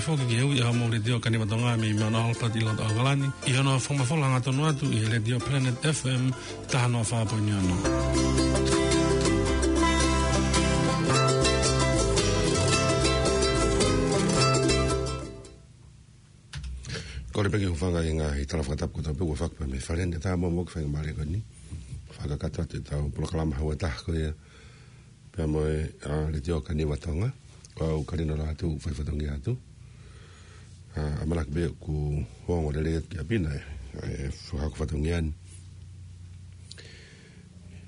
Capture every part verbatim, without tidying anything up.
Foki ki he ui ʻa e Letiō Kaniva Tonga mei Mount Albert ʻi loto ʻAokalani, ʻi hono fakamafola hangatonu atu ʻi he Letiō Planet F M taha noa fā poini ono. Kole pē ke u hūfanga ʻi he ngaahi tala fakatapu kotoa pē kuo fakapā mei he fale ni, tā mo mo ke fai mālie ko eni. Fakakakato atu ʻetau polokalama hau ʻe taha ko ia pea mo e, ʻa, Letiō Kaniva Tonga. ʻOku ou kole ʻo ʻoatu ʻeku fai fatongia atu. ʻA, ʻamanaki pē ʻoku ongo lelei atu ki ʻapi na ʻa e, ʻa e fakahoko fatongia ni.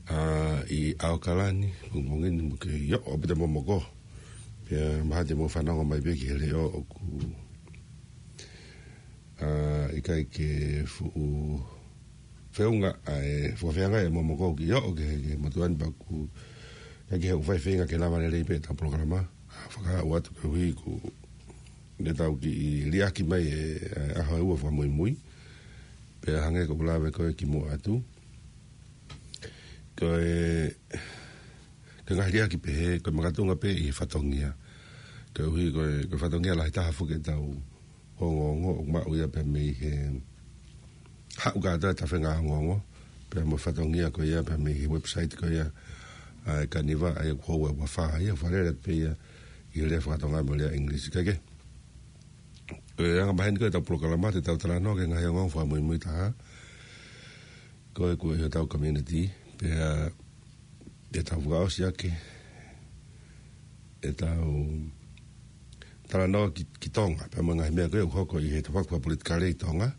ʻA, ʻi ʻAokalani, pongipongi ni mo ke ʻio, ʻo pita momoko. Pea mahalo te mou fanongo mai pē ki he leʻo ʻoku, ʻa, ʻikai ke fuʻu feʻunga ʻa e fakafeangai ʻa e momoko ki ʻio, ʻo ke, ke motuʻa ni pea ʻoku, ʻikai ke u fai feinga ke lava lelei pē ʻetau polokalama. ʻA, fakaʻau atu koeʻuhi ko ʻetau kiʻi liʻaki mai e, e ʻaho ʻe ua fakamuimui. Pea hangē ko ʻeku lave ko ē kimuʻa atu. Ko e, ko e ngaahi liʻaki pehē, ko e makatuʻunga pē ʻi he fatongia. Koeʻuhi ko e, ko e fatongia lahi taha foki ʻetau ongoongo ʻoku maʻu ia pea mei he haʻu kātoa e tafenga ongoongo, pea mo e fatongia ko ia pea mei he website ko ia ʻa e Kaniva, ʻa ia ʻoku ʻi he ua fā ia, fale lelei pē ia ʻi he lea fakatonga mo e lea ʻIngilisi kae kehe. Ko e anga maheni ko ē ʻetau polokalama, te tau talanoa ki he ngaahi ongoongo fakamuimui taha ko ē ʻoku ʻi hotau community, pea te tau fakaʻosi ʻaki ʻetau talanoa ki, ki Tonga, pea mo e ngaahi meʻa ko ē ʻoku hoko ʻi he tafaʻaki fakapolitikale ʻi Tonga.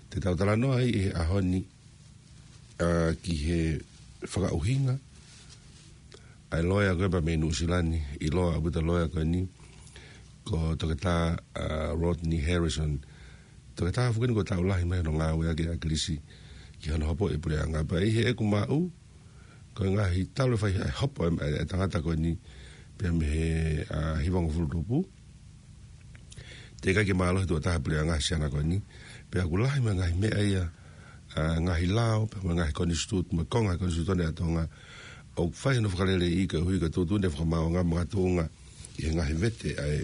Te tau talanoa ai ʻi he ʻaho ni, ʻa, ki he fakaʻuhinga ʻa e loea ko ē pea mei Nuʻusila ni, ʻiloa ʻaupito loea ko eni ko Toketā, ʻa, Rodney Harrison. Toketā foki eni kuo taʻu lahi mai hono ngāueʻaki ʻe ʻAkilisi ki hono hopoʻi e puleʻanga. Pea ʻi heʻeku maʻu, ko e ngaahi talu e fai e hopo e, e, e tangata ko eni pea mei he, ʻa, hivangofulu tupu. Teʻeki ai ke mālohi tuʻo taha e puleʻanga he siana ko eni. Pea ʻoku lahi mo e ngaahi meʻa ia, ʻa, ngaahi lao, pea mo e ngaahi konisitū-, mo e konga konisitūtone ʻa Tonga ʻoku fai hono fakaleleiʻi koeʻuhi ko e tuʻutuʻuni e fakamaauʻanga makatuʻunga ʻi he ngaahi vete ʻa e,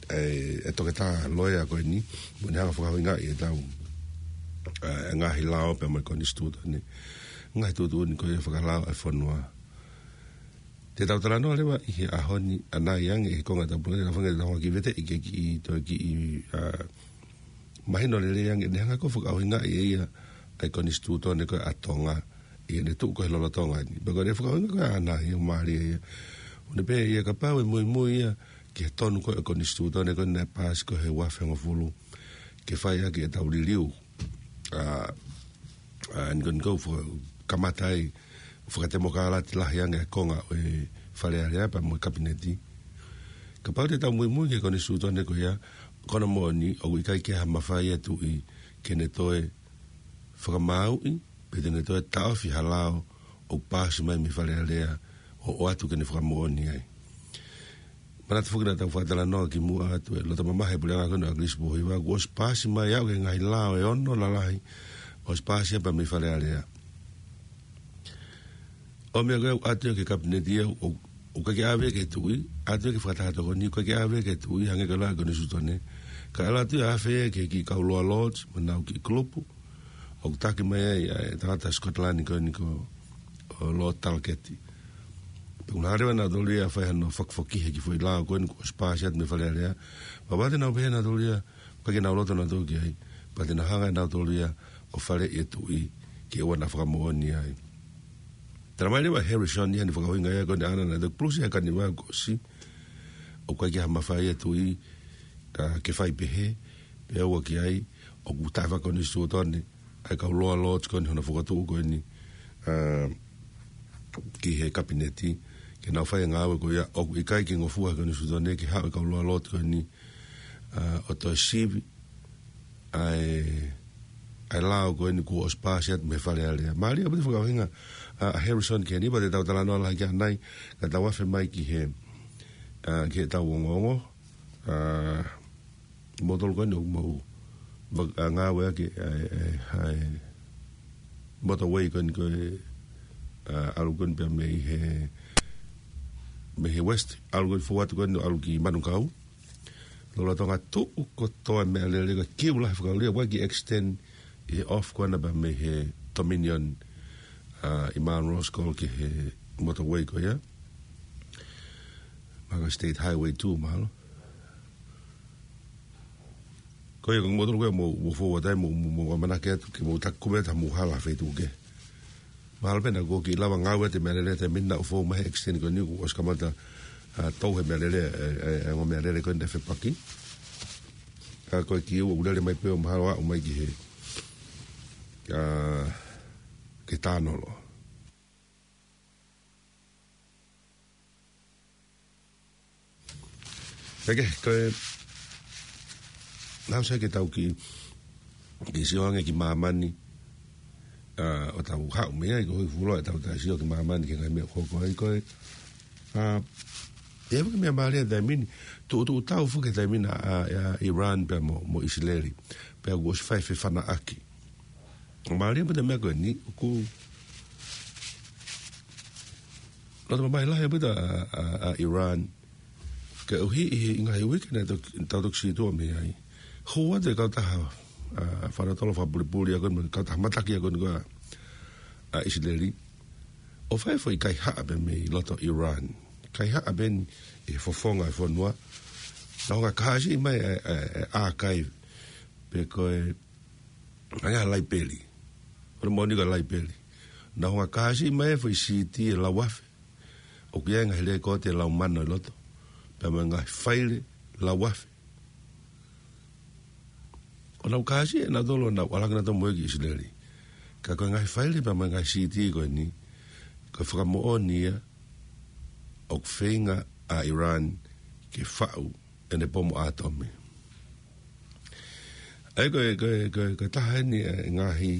ʻa e, e toketā loea ko eni, mo ʻene hanga ʻo fakaʻuhingaʻi ʻetau, ʻa, e ngaahi lao pea mo e konisitūtone. Ngaahi tuʻutuʻuni ko ia fakalao ʻa e fonua. Te tau talanoa leva ʻi he ʻaho ni ʻanai ange ʻi he konga ʻetau polokalama, te tau feinga ke tau hanga ʻo kiʻi veteʻi ke kiʻi toe kiʻi, ʻa, mahino lelei ange ʻene hanga ko ē ʻo fakaʻuhingaʻi ʻe ia ʻa e konisitūtone ko ē ʻa Tonga ʻi heʻene tuʻu ko ē he lolotonga ni. Pea ko ʻene fakaʻuhinga ko ē ʻaʻana ʻoku mālie ia. ʻOku ne pehē ia kapau ʻe muimui ia ki he tonu ko ē ʻo e konisitūtone ko ē naʻe paasi ko ē he ua afe hongofulu ke fai ʻaki ʻetau liliu, ʻa, ʻa, ʻa e niko niko fo-, kamata ai fakatemokalati lahi ange ʻa e konga ʻo e Fale Alea pea mo e Kapineti. Kapau te tau muimui ki he konisitūtone ko ia, ko hono moʻoni ʻoku ʻikai ke ʻi ai ha mafai ʻa e Tuʻi ke ne toe fakamaauʻi, pe te ne toe taʻofi ha lao ʻoku paasi mai mei Fale Alea ʻo, ʻoatu ke ne fakamoʻoni ai. Manatu foki naʻa tau fakatalanoa kimuʻa atu e loto mamahi e puleʻanga ko eni ʻo ʻAkilisi Pōhiva, kuo ʻosi paasi mai ʻa e ngaahi lao ʻe ono lalahi, ʻosi paasi ia pea mei Fale Alea. ʻO meʻa ko ē ʻoku ʻatu ia ki he Kapineti ia ʻoku, ʻoku ʻikai ke ʻave ki he Tuʻi, ʻatu ia ki he Fakataha Tokoni, ʻikai ke ʻave ki he Tuʻi, hangē ko e lau ʻa e konisitūtone. Kae ʻalu atu ia ʻo ʻave ki he kiʻi kau Lower Lords, mo ʻenau kiʻi kulupu ʻoku taki mai ai ʻa e tangata Scotland ko eni ko, ʻo Lord Talketti. Pea ʻoku nau hanga leva nautolu ia ʻo fai hano fakafoki he kiʻi foʻi lao ko eni kuo ʻosi paasi atu mei Fale Alea. Pea ʻoku ʻikai te nau pehē nautolu ia, ʻikai ke nau loto nautolu ki ai, pea te nau hanga nautolu ia ʻo faleʻi e Tuʻi ke ʻoua naʻa fakamoʻoni ai. Talamai leva ʻe Harrison ia ʻene fakaʻuhinga ia ko eni ʻaʻana naʻe toki pulusi ʻa e Kaniva kuo ʻosi, ʻoku ʻikai ke ʻi ai ha mafai ʻa e Tuʻi, ʻa, ke fai pehē, pea ʻoua ki ai, ʻoku taʻefakakonisitūtone ʻa e kau Lower Lords ko eni hono fokotuʻu ko eni, ʻa, ki he Kapineti, ke nau fai e ngāue ko ia, ʻoku ʻikai ke ngofua he konisitūtone ke haʻu e kau Lower Lords ko eni, ʻa, ʻo toe sivi ʻa e, ʻa e lao ko eni kuo ʻosi paasi atu mei Fale Alea. Mālie ʻaupito e fakaʻuhinga ʻa, ʻa Harrison ki heni, pea te tau talanoa lahi ki ai ʻanai, ka tau afe mai ki he, ʻa, ki heʻetau ongoongo, ʻa, moutolu ko eni ʻoku mou, va-, ʻa, ngāueʻaki ʻa e, ʻa e, ʻa e motorway ko eni ko e, ʻa, ʻalu ko eni pea mei he, mei he West, ʻalu ko eni fou atu ko eni ʻalu ki Manukau. Lolotonga tuʻu kotoa e meʻalele ko e kiu lahi fakaʻulia, ʻoku ʻikai ke extend ʻi he off ko ena pea mei he Dominion, ʻa, ʻi Munro's Cove ki he motorway ko ia. Mahalo ko e State Highway two mahalo. Ko ia ko e moutolu ko ia mou, mou forward ai, mou, mou, mou ʻamanaki atu ke mou taku me ta mou hala feituʻu kehe. Mahalo pē naʻa ʻoku kiʻi lava ngāue atu e meʻalele he taimi ni naʻa ʻoku fou mai he extend ko eni kuo ʻosi kamata, ʻa, tau he meʻalele, ʻe, ʻe, ʻe, ongo meʻalele ko eni ʻe fepaki. ʻA, ko e kiu ʻoku lele mai pē ʻo mahalo aʻu mai ki he, ʻa, ki he tānolo. Pea ke, ko e, naʻa ʻosi ke tau kiʻi, kiʻi sio ange ki māmani, ʻa, ʻo tau haʻu mei ai, ko e hoi fulo ʻe tau tai sio ki māmani ki he ngaahi meʻa ʻoku hoko ai ko e, ʻa, ʻe ʻi ai foki e meʻa mālie he taimi ni, tuʻutuʻu tau foki he taimi ni ʻa, ʻa, ʻa Iran pea mo, mo ʻIsileli. Pea kuo ʻosi fai e fefanaʻaki. Mālie pē e meʻa ko eni, ʻoku loto mamahi lahi pē ʻa, ʻa, ʻa Iran. Koeʻuhi ʻi he ngaahi uike naʻe tok-, tau toki sītuʻa mei ai. Hū atu e kautaha, ʻa, fakatotolo fakapulipuli ʻa ko eni, kautaha mataki ʻa ko eni ko ʻa, ʻa ʻIsileli. ʻO fai e foʻi kaihaʻa pē mei loto Iran. Kaihaʻa pē eni ʻi he fofonga e fonua. Naʻa nau hanga ʻo kāsiʻi mai e, e, e archive. Pe ko e hangē ha laipeli. Ko e moʻoni ko e laipeli. Naʻa nau hanga ʻo kāsiʻi mai e foʻi CD ʻe lauafe. ʻOku ʻi ai e ngaahi lēkooti ʻe laumano ʻi loto. Pea mo e ngaahi faile lauafe. ʻO nau kāsiʻi ʻe nautolu ʻo nau ʻalu hake nautolu mo ia ki ʻIsileli. Ka ko e ngaahi faile pea mo e ngaahi CD ko eni, ko e fakamoʻoni ia ʻoku feinga ʻa Iran ke faʻu ʻene pomu ʻātomi. ʻA ia ko e, ko e, ko e, ko e taha eni e ngaahi,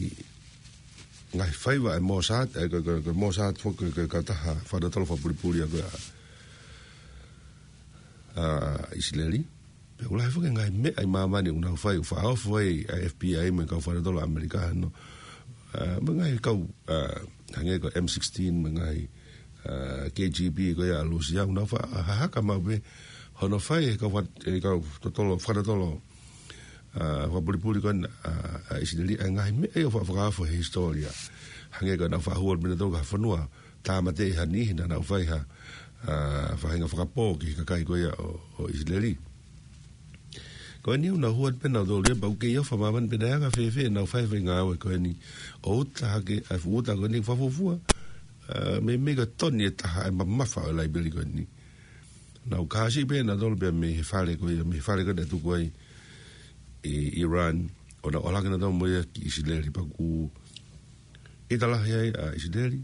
ngaahi faiva ʻa e Mossad, ʻa ia ko e, ko e, ko e Mossad foki ko e, ko e kautaha fakatotolo fakapulipuli ʻa ko ē ʻa, ʻa ʻIsileli. Pea ʻoku lahi foki e ngaahi meʻa ʻi māmani ʻoku nau fai, ʻoku fakaofo ai ʻa e FBI mo e kau fakatotolo ʻAmelika hano. ʻA, mo e ngaahi kau, ʻa, hangē ko e M sixteen, mo e ngaahi, ʻa, K G B ko ia ʻa Lūsia, ʻoku nau fakahahaka maʻu pē hono fai ʻe he kau faka-, ʻe he kau totolo, fakatotolo, ʻa, fakapulipuli ko ena, ʻa, ʻa ʻIsileli, ʻa e ngaahi meʻa ia ʻoku faʻa fakaofo he hisitōlia. Hangē ko ʻenau faʻa hū ʻo pina tau ka fonua, tāmateʻi ha niʻihi naʻa nau fai ha, ʻa, faʻahinga fakapō ki he kakai ko ia ʻo, ʻo ʻIsileli. Ko eni ʻoku nau hū atu pē nautolu ia pea ʻoku kei ʻofa māmani pe naʻe anga fēfē ʻenau fai e foʻi ngāue ko eni. ʻO uta hake, ʻa e fuʻu uta ko eni fakafuofua. ʻA, meimei ko e toni ʻe taha ʻa e mamafa ʻo e laipeli ko eni. Nau kāsiʻi pē nautolu pea mei he fale ko ia, mei he fale ko ē naʻe tuku ai ʻi Iran, ʻo nau ʻalu hake nautolu mo ia ki ʻIsileli pea ʻoku ʻita lahi ai ʻa ʻIsileli,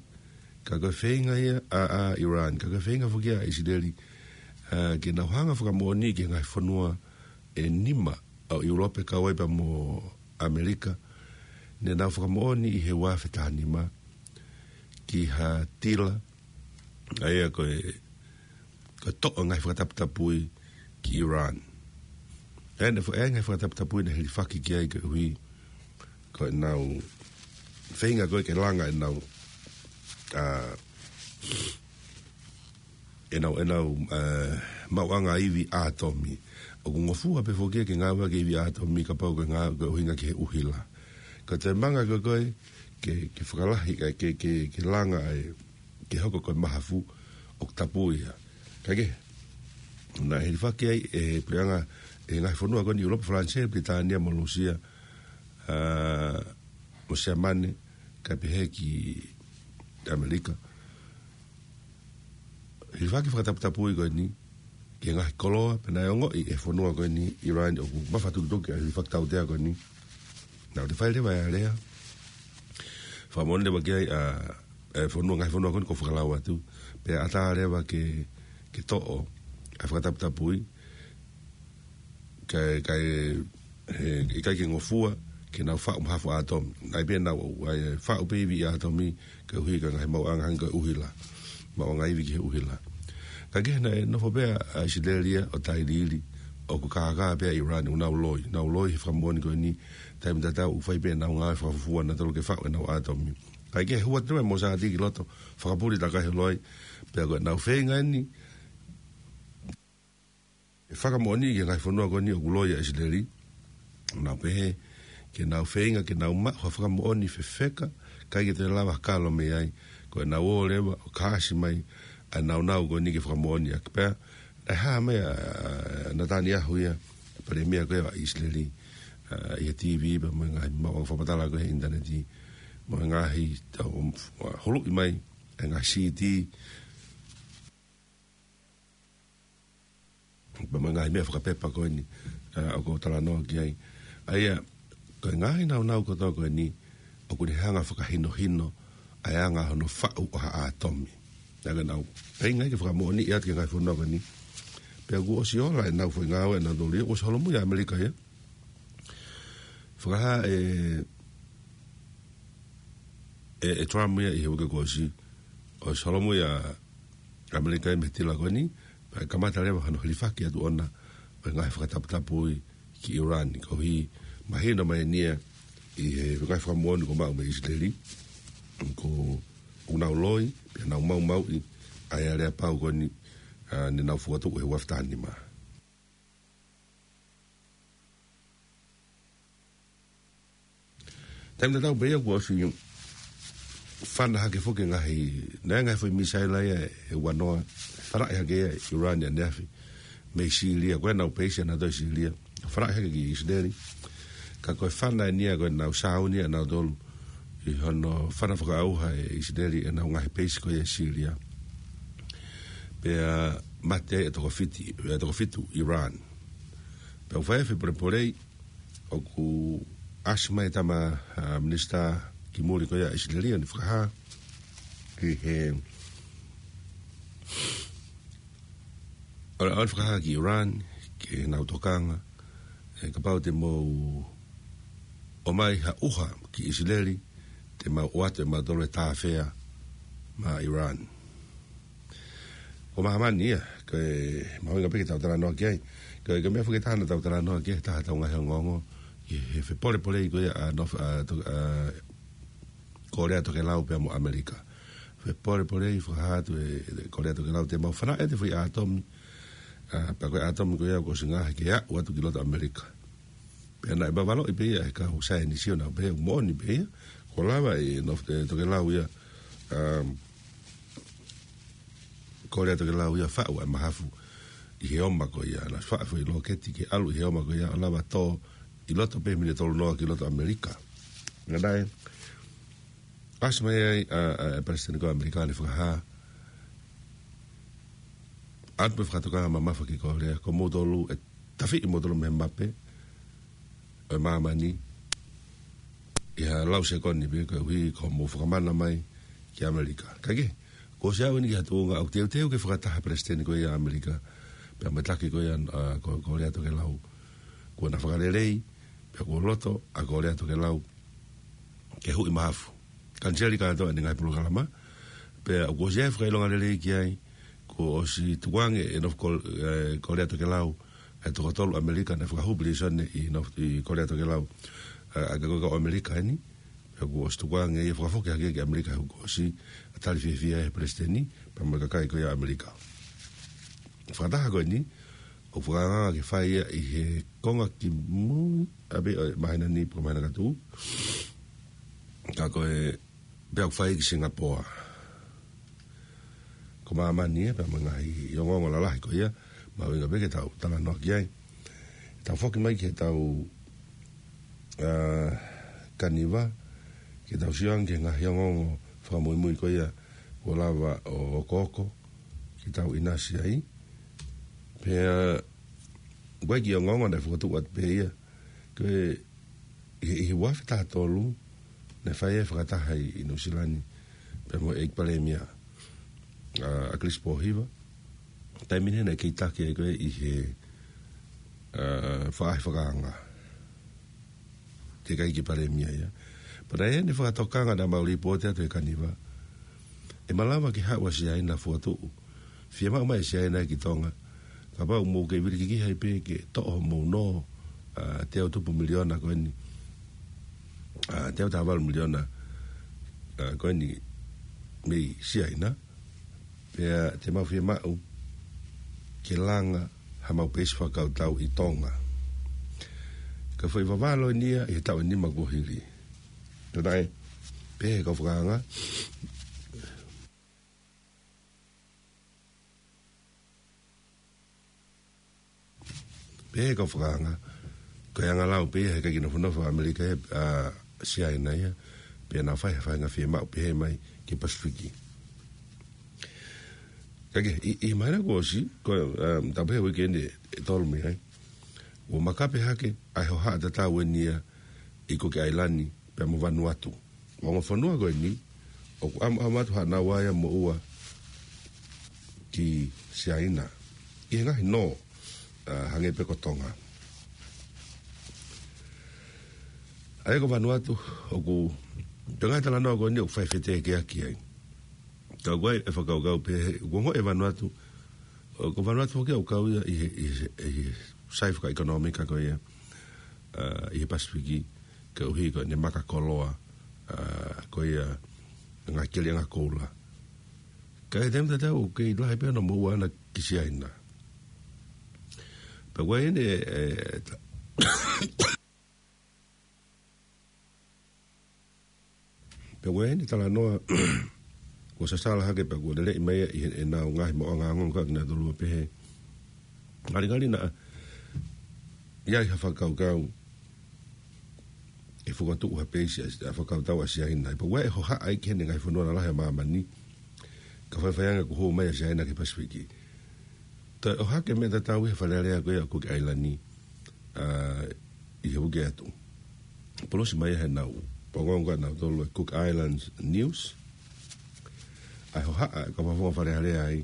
ka ko e feinga ia ʻa, ʻa Iran, ka ko e feinga foki ʻa ʻIsileli, ʻa, ke nau hanga ʻo fakamoʻoni ki he ngaahi fonua ʻe nima ʻo ʻIulope kau ai pea mo ʻAmelika, ne nau fakamoʻoni ʻi he ua afe taha nima ki ha tila, ʻa ia ko e, ko e toʻo e ngaahi fakataputapui ki Iran. ʻA ia naʻe fo-, ʻa e ngaahi fakataputapui naʻe hilifaki ki ai koeʻuhi ko ʻenau feinga ko ē ke langa ʻenau, ʻa, ʻenau, ʻenau, ʻa, maʻuʻanga ivi ʻātomi. ʻOku ngofua pē foki ia ke ngāueʻaki e ivi ʻātomi kapau ko e ngā-, ko e ʻuhinga ki he ʻuhila. Ko e taimanga ko ē ko ē ke, ke fakalahi, ʻa, ke, ke, ke langa ai, ke hoko ko e mahafu ʻoku tapu ia. Kae kehe, naʻe hilifaki ai ʻe he puleʻanga, ʻe he ngaahi fonua ko eni ʻIulope, Falanisē, Pilitānia mo Lūsia, ʻa, mo Siamane, kae pehē ki ʻAmelika. Hilifaki fakataputapui ko eni ki he ngaahi koloa, pea naʻe ongoʻi ʻe he fonua ko eni Iran ʻoku mafatukituki ʻa e hilifaki tautea ko eni. Naʻa nau toe fai leva e alea. Fakamoʻoni leva ki ai ʻa, ʻa e fonua, ngaahi fonua ko eni ʻoku ou fakalau atu. Pea ʻatā leva ke, ke toʻo ʻa e fakataputapui, kae, kae, he, ʻikai ke ngofua ke nau faʻu mahafu ʻātomi. Naʻe pē nau, ʻa e faʻu pē ivi ʻātomi koeʻuhi ko e ngaahi maʻuʻanga hangē ko e ʻuhila. Maʻuʻanga ivi ki he ʻuhila. Kae kehe naʻe nofo pē ʻa ʻIsileli ia ʻo tailiili, ʻoku kākā pē ʻa Iran, ʻoku nau loi. Nau loi he fakamoʻoni ko eni, taimi tatau ʻoku fai pē ʻenau ngāue fakafuofua nautolu ke faʻu ʻenau ʻātomi. Kae kehe hū atu e Mossad ki loto, fakapuli takai he loi, pea ko ʻenau feinga eni, ʻE fakamoʻoni ki he ngaahi fonua ko eni ʻoku loi ʻa ʻIsileli. Nau pehē, ke nau feinga, ke nau maʻu ha fakamoʻoni fefeka, ʻikai ke toe lava kalo mei ai. Ko ʻenau ō leva, ʻo kāsi mai, ʻa e naunau ko eni ke fakamoʻoni ʻaki pea. Naʻe hā mai ʻa, ʻa Nataniahu ia, palēmia ko ia ʻa ʻIsileli, ʻa, ʻi he T V pea mo e ngaahi maʻuʻanga fakamatala ko ē he ʻinitaneti, mo e ngaahi tau, ʻa, huluʻi mai, ʻa e ngaahi C D, pea mo e ngaahi meʻa fakapepa ko eni, ʻa, ʻoku ou talanoa ki ai. ʻA ia, ko e ngaahi naunau kotoa ko eni, ʻoku ne hanga fakahinohino, ʻa e anga hono faʻu ʻo ha ʻātomi. Naʻa ke nau, feinga ke fakamoʻoniʻi atu ki he ngaahi fonua ko eni. Pea kuo ʻosi ola ʻenau foʻi ngāue, ʻenau tōlia, ʻosi holomui ʻa ʻAmelika ia. Fakahā ʻe, ʻe, ʻe Trump ia ʻi he uike kuo ʻosi, ʻosi holomui ʻa ʻAmelika ia mei he tila ko eni, pea kamata leva hano hilifaki atu ʻona, ʻo e ngaahi fakataputapui ki ʻIuran, koeʻuhi mahino mai eni ia ʻi he ngaahi fakamoʻoni kuo maʻu mei ʻIsileli, ko ʻenau loi, pea nau maumauʻi, ʻa e aleapau ko eni, ʻa, ne nau fokotuʻu he uafe taha nima. Taimi tatau pē ia kuo ʻosi fana hake foki e ngaahi, naʻe ngaahi foʻi misaila ia ʻe ua noa, falaʻi hake ia ʻe ʻIuran ʻaneafi, mei Sīlia, ko ʻenau peisi ʻanautolu ʻi Sīlia. Falaʻi hake ki ʻIsileli. Ka ko e fana eni ia ko ʻenau sāuni ʻanautolu, ʻi hono fana fakaʻauha ʻe ʻIsileli ʻenau ngaahi peisi ko ia ʻi Sīlia. Pea mate ai ʻe toko fiti, ʻe toko fitu ʻIuran. Pea ʻoku fai e fepolepolei, ʻoku ʻasi mai e tama, ʻa, minisitā ki muli ko ia ʻa ʻIsileli ʻo ne fakahā ki he, ʻo ne, ʻo ne fakahā ki ʻIuran, ki heʻenau tokanga, ʻe kapau te mou ʻomai ha ʻuha ki ʻIsileli, te mau ʻoatu ʻe mautolu e tāfea maʻa ʻIuran. Ko māmani ia, ko e mahuʻinga pē ke tau talanoa ki ai. Ko e, ko e meʻa foki ʻe taha naʻa tau talanoa ki ai, taha ʻetau ngaahi ongoongo, ki he fepolepolei ko ia ʻa North, ʻa, to-, ʻa, Kōlea Tokelau pea mo ʻAmelika. Fepolepolei fakahā atu ʻe, ʻe Kōlea Tokelau te mau fanaʻi ʻa e foʻi ʻātomi, ʻa, pea ko e ʻātomi ko ia kuo ʻosi ngaohi ke aʻu atu ki loto ʻAmelika. Pea naʻe vavaloʻi pē ia ʻe he kau saienisi ʻo nau pehē ʻoku moʻoni pē ia, kuo lava ʻe North, ʻe Tokelau ia, um, Kōlea Tokelau ia faʻu ʻa e mahafu ʻi he oma ko ia, naʻe faʻu e foʻi lōketi ke ʻalu ʻi he oma ko ia, ʻo lava tō ʻi loto pē he miniti ʻe tolu noa ki loto ʻAmelika. Naʻe ʻasi mai ai ʻa, ʻa, ʻa e Palesiteni ko ʻAmelika ʻo ne fakahā atu pē fakatokanga mamafa ki Kōlea, ko moutolu ʻe tafiʻi moutolu mei he mape ʻo māmani ʻi ha lau sekoni pē koeʻuhi ko hoʻomou fakamana mai ki ʻAmelika. Kae kehe, kuo ʻosi aʻu eni ki ha tuʻunga ʻoku teuteu ke fakataha e Palesiteni ko ia ʻa ʻAmelika pea mo e taki ko ia, ʻa, ko, Kōlea Tokelau. Kuo na fakalelei, pea kuo loto ʻa Kōlea Tokelau ke huʻi mahafu. Kaniseli kātoa ʻene ngaahi polokalama, pea kuo ʻosi ʻi ai e fakaʻilonga lelei ki ai, kuo ʻosi tukuange ʻe North Kō-, ʻe, Kōlea Tokelau, ʻa e toko tolu ʻAmelika naʻe fakahū pilīsone ʻi North, ʻi Kōlea Tokelau, ʻa, ʻa e kakai ʻo ʻAmelika eni, pea kuo ʻosi tukuange ia fakafoki hake ki ʻAmelika he kuo ʻosi, ʻa, tali fiefia ʻe he Palesiteni, pea mo e kakai ko ia ʻAmelika. Fakataha ko eni, ʻoku fakaangaanga ke fai ia ʻi he konga kimui, ʻa pē ʻo e māhina ni pe ko e māhina ka tuʻu. Ka ko e, pea ʻoku fai ki Singapoa. Ko māmani ia, pea mo e ngaahi ongoongo lalahi ko ia, mahuʻinga pē ke tau talanoa ki ai. Tau foki mai ki heʻetau, ʻa, kaniva, ke tau sio ange ki he ngaahi ongoongo fakamuimui ko ia, kuo lava ʻo okooko, ke tau ʻinasi ai. Pea, ʻoku ʻi ai e kiʻi ongoongo naʻe fokotuʻu atu pē ia, ko e, ʻi he, ʻi he uafe taha tolu, naʻe fai ai e fakataha ʻi, ʻi Nuʻusila ni, pea mo e ʻEiki Palēmia, ʻa, ʻAkilisi Pōhiva. Taimi ni naʻe kei taki ai ko ē ʻi he, ʻa, faʻahi fakaanga. Teʻeki ai ke Palēmia ia. Pea naʻe ʻi ai ʻene fakatokanga naʻa mau lipooti atu he kaniva. ʻE malava ke haʻu ʻa Siaina fokotuʻu. Fiemaʻu mai ʻe Siaina ki Tonga. Kapau ʻoku mou kei vilikikihi ai pē ke toʻo hoʻomou nō, ʻa, teau tupu miliona ko eni. ʻA, teau taha valu miliona, ʻa, ko eni mei Siaina. Pea te mau fiemaʻu ke langa haʻamau peisi fakakautau ʻi Tonga. Ka foʻi vavalo eni ia ʻi he taʻu ʻe nima kuo hili. Tō tae, pehē kau fakaanga. Pehē kau fakaanga. Ko e anga lau pē ia he ʻikai ke nofonofo ʻAmelika ia, ʻa Siaina ia, pea nau fai ha faʻahinga fiemaʻu pehē mai ki Pasifiki. Ka ke, ʻi, ʻi he māhina kuo ʻosi, ko, um, tapu he uike eni ʻe tolu mei ai. ʻO makape hake, ʻa e hohaʻa tatau eni ia, ʻi Kuki ʻAilani, pea mo Vanuatu. Ongo fonua ko eni, ʻoku ʻamu, ʻamu atu haʻanau ʻai ʻa moʻua ki Siaina. ʻI he ngaahi nō, ʻa, hangē pē ko Tonga. ʻA ia ko Vanuatu, ʻoku, ko e ngaahi talanoa ko eni ʻoku fai fetekeaki ai. Ka ʻoku ʻi ai e fakakaukau pehē, ʻoku ongoʻi ʻe Vanuatu, ʻo, ko Vanuatu foki ʻoku kau ia ʻi he, ʻi he, ʻi he sai fakaʻekonōmika ko ia, ʻa, ʻi he Pasifiki, koeʻuhi ko ʻene maka koloa, ʻa, ko ia ngaahi keliʻanga koula. Ka ʻi he taimi tatau ʻoku kei lahi pē hono moʻua ʻana ki Siaina. Pea ʻoku ʻi ai ʻene, ʻe, ta-, pea ʻoku ʻi ai ʻene talanoa, kuo sasala hake pea kuo leleʻi mai ia ʻi he, ʻenau ngaahi maʻuʻanga ongoongo ka kinautolu ʻo pehē. Ngalingali naʻa ʻi ai ha fakakaukau ʻe fokotuʻu ha peisi ʻa, ʻa e fakakautau ʻa Siaina. Pea ʻoku ʻi ai e hohaʻa ia ki heʻene ngaahi fonua lalahi ʻa māmani. Ka faifai ange kuo hū mai ʻa Siaina ki Pasifiki. Toe ʻohake meʻa tatau ʻi he Fale Alea ko ia ʻo Kuki ʻAilani, ʻa, ʻi he uike atu. Polosi mai ia heʻenau, pongonga nautolu e Cook Islands News. ʻA e hohaʻa, ka mafonga Fale Alea ai,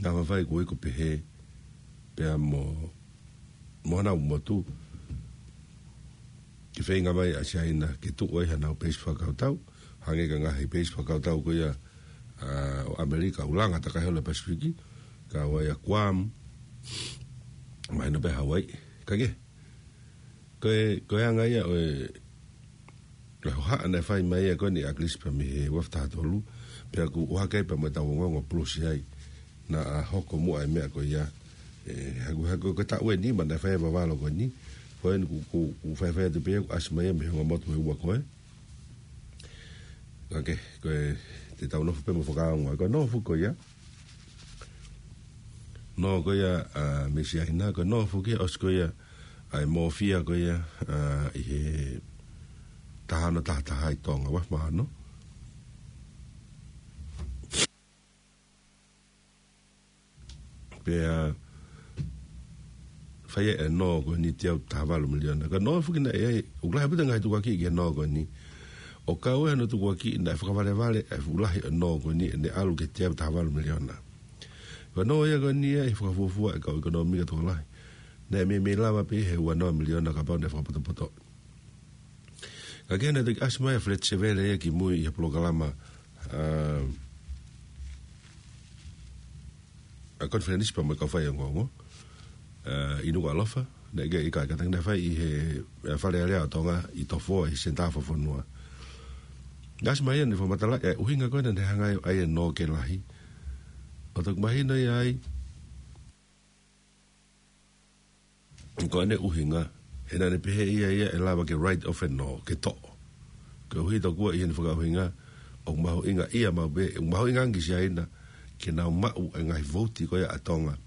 naʻa faifai kuo iku pehē, pea mo, mo honau motu, ke feinga mai ʻa Siaina, ke tuʻu ai hanau peisi fakakautau, hangē ko e ngaahi peisi fakakautau ko ia, ʻa, ʻo ʻAmelika, ʻoku langa takai holo Pasifiki, kau ai ʻa Guam, mahino pē Hawaii, ka ke, ko e, ko e anga ia ʻo e, ʻa e hohaʻa naʻe fai mai ia ko eni ʻa ʻAkilisi pea mei he ua afe taha tolu, pea kuo ʻohake pea mo ʻetau ongoongo polosi ai, naʻa hoko muʻa e meʻa ko ia, ʻe, haku, haku, ko e taʻu ʻe nima naʻe fai e vavalo ko eni, ko eni kuo, kuo, kuo faifai atu pē ia, kuo ʻasi mai ia mei he ongo motu ʻe ua ko ē. Ka ke, ko e, te tau nofo pē mo fakaongo, ko e nofo ko ia, nō ko ia, ʻa, mei Siaina, ko e nofo ki ʻosi ko ia, ʻa e mōfia ko ia, ʻa, ʻi he taha ono taha taha ʻi Tonga, ua afe mā ono. Pea fai e nō ko eni teau taha valu miliona. Ka nō foki naʻe ʻi ai, ʻoku lahi ʻaupito e ngaahi tukuakiʻi ki he nō ko eni. ʻO kau ai hono tukuakiʻi naʻe fakavalevale e fuʻu lahi e nō ko eni ʻene ʻalu ki he teau taha valu miliona. Ko e nō ia ko eni ia ʻi he fakafuofua e kau ʻekonōmika tokolahi. Naʻe meimei lava pē he ua noa miliona kapau naʻe fakapotopoto. Ka ke naʻe toki ʻasi mai ʻa Feleti Sevele ia ki mui ʻi he polokalama, ʻa, ʻa e konifelenisi pea mo e kau faiongoongo, ʻa, ʻi Nukuʻalofa, naʻe ʻikai, ʻikai, ka naʻe fai ʻi he, ʻa, Fale Alea ʻo Tonga ʻi Tofoa ʻi he senitā fakafonua. Naʻe ʻasi mai ia naʻe fakamatalaʻi e ʻuhinga ko ē naʻe hanga ai ʻo ʻai e nō ke lahi. ʻO toki mahino ia ai, ko ʻene ʻuhinga, he naʻa ne pehē ʻe ia ia ʻe lava ke write off e nō, ke toʻo. Koeʻuhi tokua ʻi heʻene fakaʻuhinga, ʻoku mahuʻinga ia maʻu pē, ʻoku mahuʻinga ange ki Siaina, ke nau maʻu e ngaahi vouti ko ia ʻa Tonga,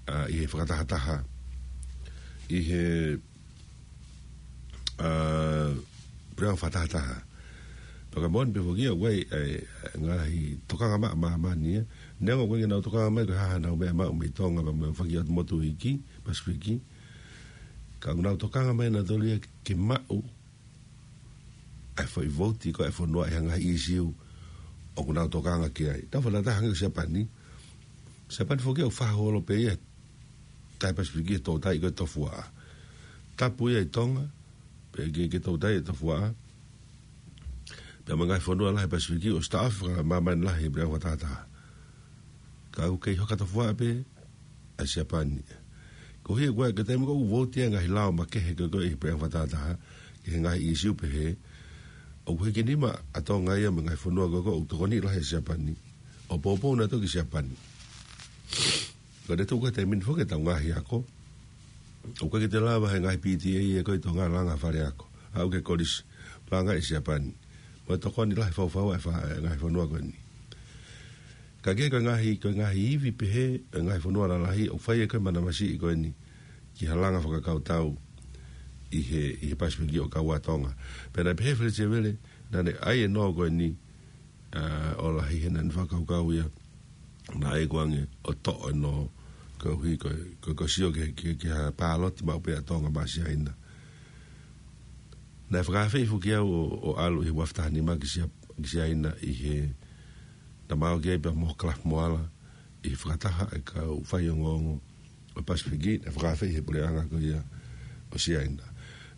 ʻa, ʻi he fakatahataha, ʻi he, ʻa, puleʻanga fakatahataha. Pea ka moʻoni pē foki ia ʻoku ʻi ai e, e ngaahi tokanga maʻa māmani ia. Neongo ʻoku ʻikai ke nau tokanga mai ko e hā haʻanau meʻa maʻu mei Tonga pea mo e fanga ʻotu motu iiki, Pasifiki. Ka ʻoku nau tokanga mai nautolu ia ke maʻu ʻa e foʻi vouti ko ē ʻa e fonua ʻi ha ngaahi ʻīsiu ʻoku nau tokanga ki ai. Tau fakataha hangē ko Siapani. Siapani foki ʻoku faʻa holo pē ia tahi Pasifiki he toutai ko e Tofuaʻa. Tapu ia ʻi Tonga, pea ke, ke toutai e Tofuaʻa. Pea mo e ngaahi fonua lahi Pasifiki, ʻosi taʻofi fakamāmani lahi he puleʻanga fakatahataha. Ka ʻoku kei hoka Tofuaʻa pē ʻa Siapani. Koeʻuhi ko e, ko e taimi ko ē ʻoku vouti ai e ngaahi lao makehe ko ē ʻi he puleʻanga fakatahataha, ki he ngaahi ʻīsiu pehē, ʻoku hiki nima ʻa Tonga ia mo e ngaahi fonua ko ē ʻoku tokoni lahi ʻa Siapani. ʻO poupou nautolu ki Siapani. Ko e tuʻu ko ē he taimi ni foki ʻetau ngaahi ako, ʻoku ʻikai ke te lava he ngaahi P T A ia ko ē ʻi Tonga langa fale ako. Aʻu ki he kolisi, langa ʻi Siapani. Mo e tokoni lahi faufaua ʻa e fa-, ʻa e ngaahi fonua ko eni. Ka ko e ngaahi, ko e ngaahi ivi pehē ʻa e ngaahi fonua lalahi ʻoku fai ʻe he kau manavasiʻi ko eni ki ha langa fakakautau ʻi he, ʻi he Pasifiki ʻo kau ai ʻa Tonga. Pea naʻe pehē ʻe Feleti Sevele, naʻa ne ʻai e nō ko eni, ʻa, ʻo lahi he naʻa ne fakakaukau ia naʻe ʻikai ko ʻene toʻo e nō, koeʻuhi ko e, ko e, ko e sio ki he, ki he, ki he paloti maʻu pē ʻa Tonga maʻa Siaina. Naʻe fakaafeʻi foki au ʻo, ʻo ʻalu ʻi he ua afe taha nima ki Sia-, ki Siaina ʻi he, naʻa mau ō ki ai pea mo Kalasi Moala ʻi he fakataha ʻa e kau faiongoongo ʻo e Pasifiki, naʻe fakaafeʻi ʻe he puleʻanga ko ia ʻo Siaina.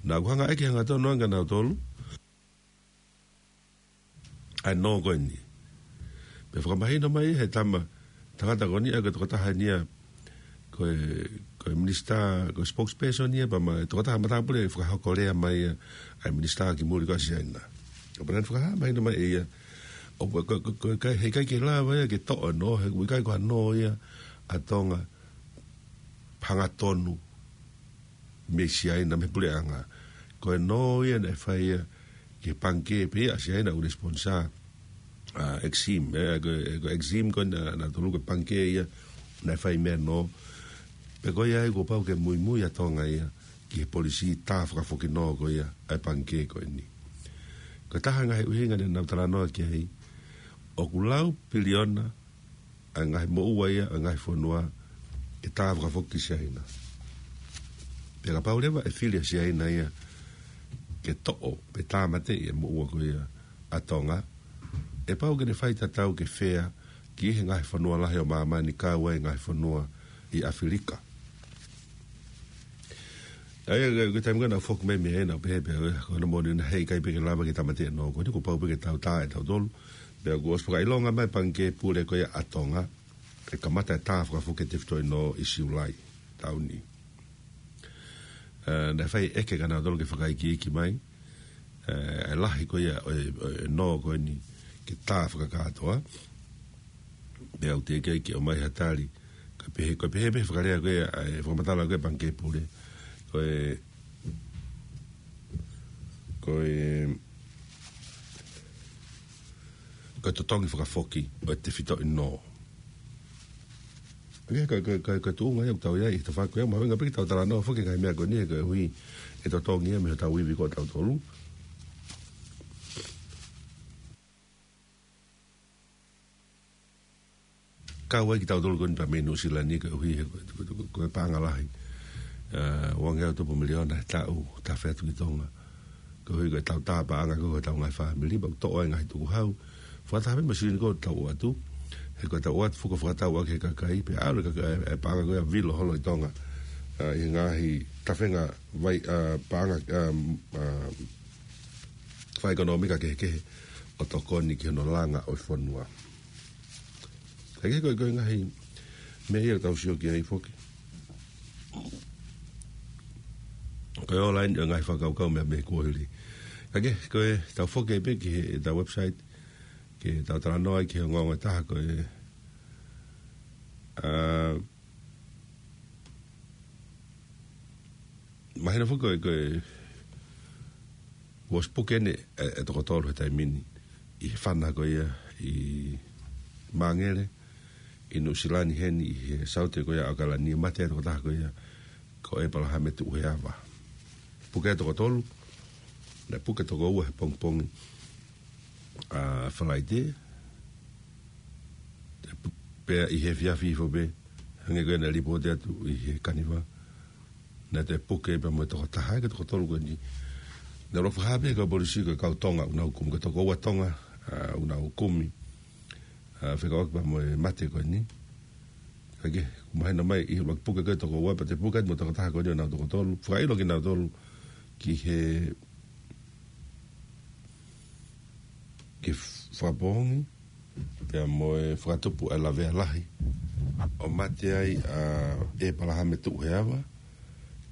Naʻa ku hanga ʻo ʻeke hangatonu ange kia nautolu ʻa e nō ko eni. Pea fakamahino mai ʻe he tama, tangata ko eni ʻa e tokotaha eni ia, ko e, ko e minisitā, ko e spokesperson ia, pea mo e tokotaha matāpule fakahoko lea mai ia ʻa e minisitā ki muli ko ē ʻa Siaina. ʻO pehē naʻe fakahā mahino mai ʻe ia, ʻo ko, ko, ko, ko e ʻikai, he ʻikai ke lava ia ke toʻo e nō, he ʻoku ʻikai ko ha nō ia ʻa Tonga hangatonu mei Siaina, mei he puleʻanga. Ko e nō ia naʻe fai ia ki he pangikē pē ia ʻa Siaina ʻoku ne sponsor, ʻa, Exim, ē, ko, ko Exim ko ē naʻa, naʻa tolu ko e pangikē ia naʻe fai mei ai e nō. Pea ko ia ai kuo pau ke muimui ʻa Tonga ia ki he polisī tā fakafoki nō ko ia ʻa e pangikē ko eni. Ko e taha e ngaahi ʻuhinga naʻa nau talanoa ki ai, ʻoku lau piliona ʻa e ngaahi moʻua ia ʻa e ngaahi fonua ke tā fakafoki ki Siaina. Pea kapau leva ʻe fili ʻa Siaina ia ke toʻo pe tāmateʻi e moʻua ko ia ʻa Tonga, ʻe pau ke ne fai tatau ke fea ki he ngaahi fonua lahi ʻo māmani, kau ai e ngaahi fonua ʻi ʻAfilika. ʻA ia, ko e, ko e taimi ko ē naʻa ku foki mai mei ai naʻa ku pehē pē au, ko hono moʻoni naʻe ʻikai pē ke lava ke tāmateʻi e nō ko eni, kuo pau pē ke tau tā ʻe tautolu. Pea kuo ʻosi fakaʻilonga mai e pangikē pule ko ia ʻa Tonga ke kamata e tā fakafoki e tefitoʻi nō ʻi Siulai taʻu ni. Ē, naʻe fai e ʻeke kia nautolu ke fakaikiiki mai, ē, e lahi ko ia ʻo e, ʻo e nō ko eni ke tā fakakātoa. Pea ʻoku teʻeki ai ke ʻomai ha tali, ka pehē, ko e pehē pē fakalea ko ia ʻa e fakamatala ko ia ʻa e pangikē pule, ko e, ko e, ko e totongi fakafoki ʻo e tefitoʻi nō. Ko e, ko e, ko e, ko e, ko e tuʻunga ia ʻoku tau ʻi ai ʻi he tafaʻaki ko ia, mahuʻinga pē ke tau talanoa foki ki he ngaahi meʻa ko eni, koeʻuhi ʻe totongi ia mei hotau ivi ko tautolu. Kau ai kitautolu ko eni pea mei Nuʻu Sila ni, koeʻuhi he ko, ko, ko, ko e paʻanga lahi. Ē, ua ngeau tupu miliona he taʻu, tafe atu ki Tonga. Koeʻuhi ko ʻetau tā paʻanga ko, ko ʻetau ngaahi fāmili, pea ʻoku toʻo ai e ngaahi tukuhau. Fakataha pē mo e silini ko ē ʻoku tau ʻoatu. He ko ʻetau ʻoatu fuko fakatau ʻaki he kakai, pea ʻalu e kakai, e paʻanga ko ia ʻo vilo holo ʻi Tonga. Ē, ʻi he ngaahi tafenga vai, ē, paʻanga, ē, ē, fakaʻekonōmika kehekehe ʻo tokoni ki hono langa ʻo e fonua. Ka ko e, ko e ngaahi meʻa ia ʻoku tau sio ki ai foki. Ko e online ʻo e ngaahi fakakaukau mei, mei he kuohili. Ka ko e, ko e tau foki pē ki he, ʻetau website, ke tau talanoa ai ki he ongoongo ʻe taha ko e, ā, mahino foki ko e, ko e, kuo ʻosi puke ʻene, ē, e toko tolu he taimi ni, ʻi he fana ko ia ʻi Mangere, ʻi Nuʻu Sila ni heni, ʻi he saute ko ia ʻo ʻAokalani, mate e tokotaha ko ia, ko ʻEpalahame Tuʻuheava. Puke e toko tolu, naʻe puke toko ua he pongipongi ʻa Falaite, pea ʻi he efiafi hifo pē, hangē ko ia naʻe lipooti atu ʻi he Kaniva, naʻe toe puke pea mo e toko taha, ko e toko tolu ko eni. Naʻe ʻuluaki fakahā pē ʻe he kau polisi ko e kau Tonga ʻoku nau kumi, ko e toko ua Tonga, ā, ʻoku nau kumi, ā, fekauʻaki pea mo e mate ko eni. Ka ko e, mahino mai ʻi he ʻuluaki puke ko e toko ua, pea toe puke atu mo e toko taha ko eni ʻo nau toko tolu. Fakaʻilo kinautolu ki he, ki Fakapoongi, pea mo e fakatupu ʻa e lavea lahi ʻo mate ai ʻa ʻEpalahame Tuʻuheava,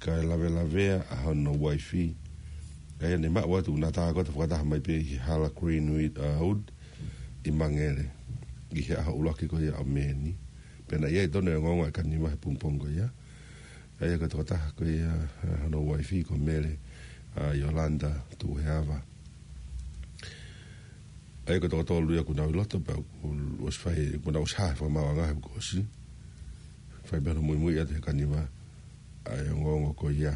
kae lavelavea ʻa hono uaifi. Ka ia ne maʻu atu ʻo nau tākoto fakataha mai pē ʻi he hala Greenwood, ā, Wood ʻi Mangere, ʻi he ʻaho ʻuluaki ko ia ʻo Mē ni. Pea naʻe ʻi ai tonu e ongoongo ʻa e kaniva he pongipongi ko ia. ʻA ia ko e tokotaha ko ia, ʻa, hono uaifi ko Mele, ʻa, Yolanda Tuʻuheava. ʻA ia ko e toko tolu ia kuo nau ʻi loto pea kuo ʻosi fai, kuo nau ʻosi hā he fakamaauʻanga he kuo ʻosi. Fai pē hono muimui atu he kaniva ʻa e ongoongo ko ia.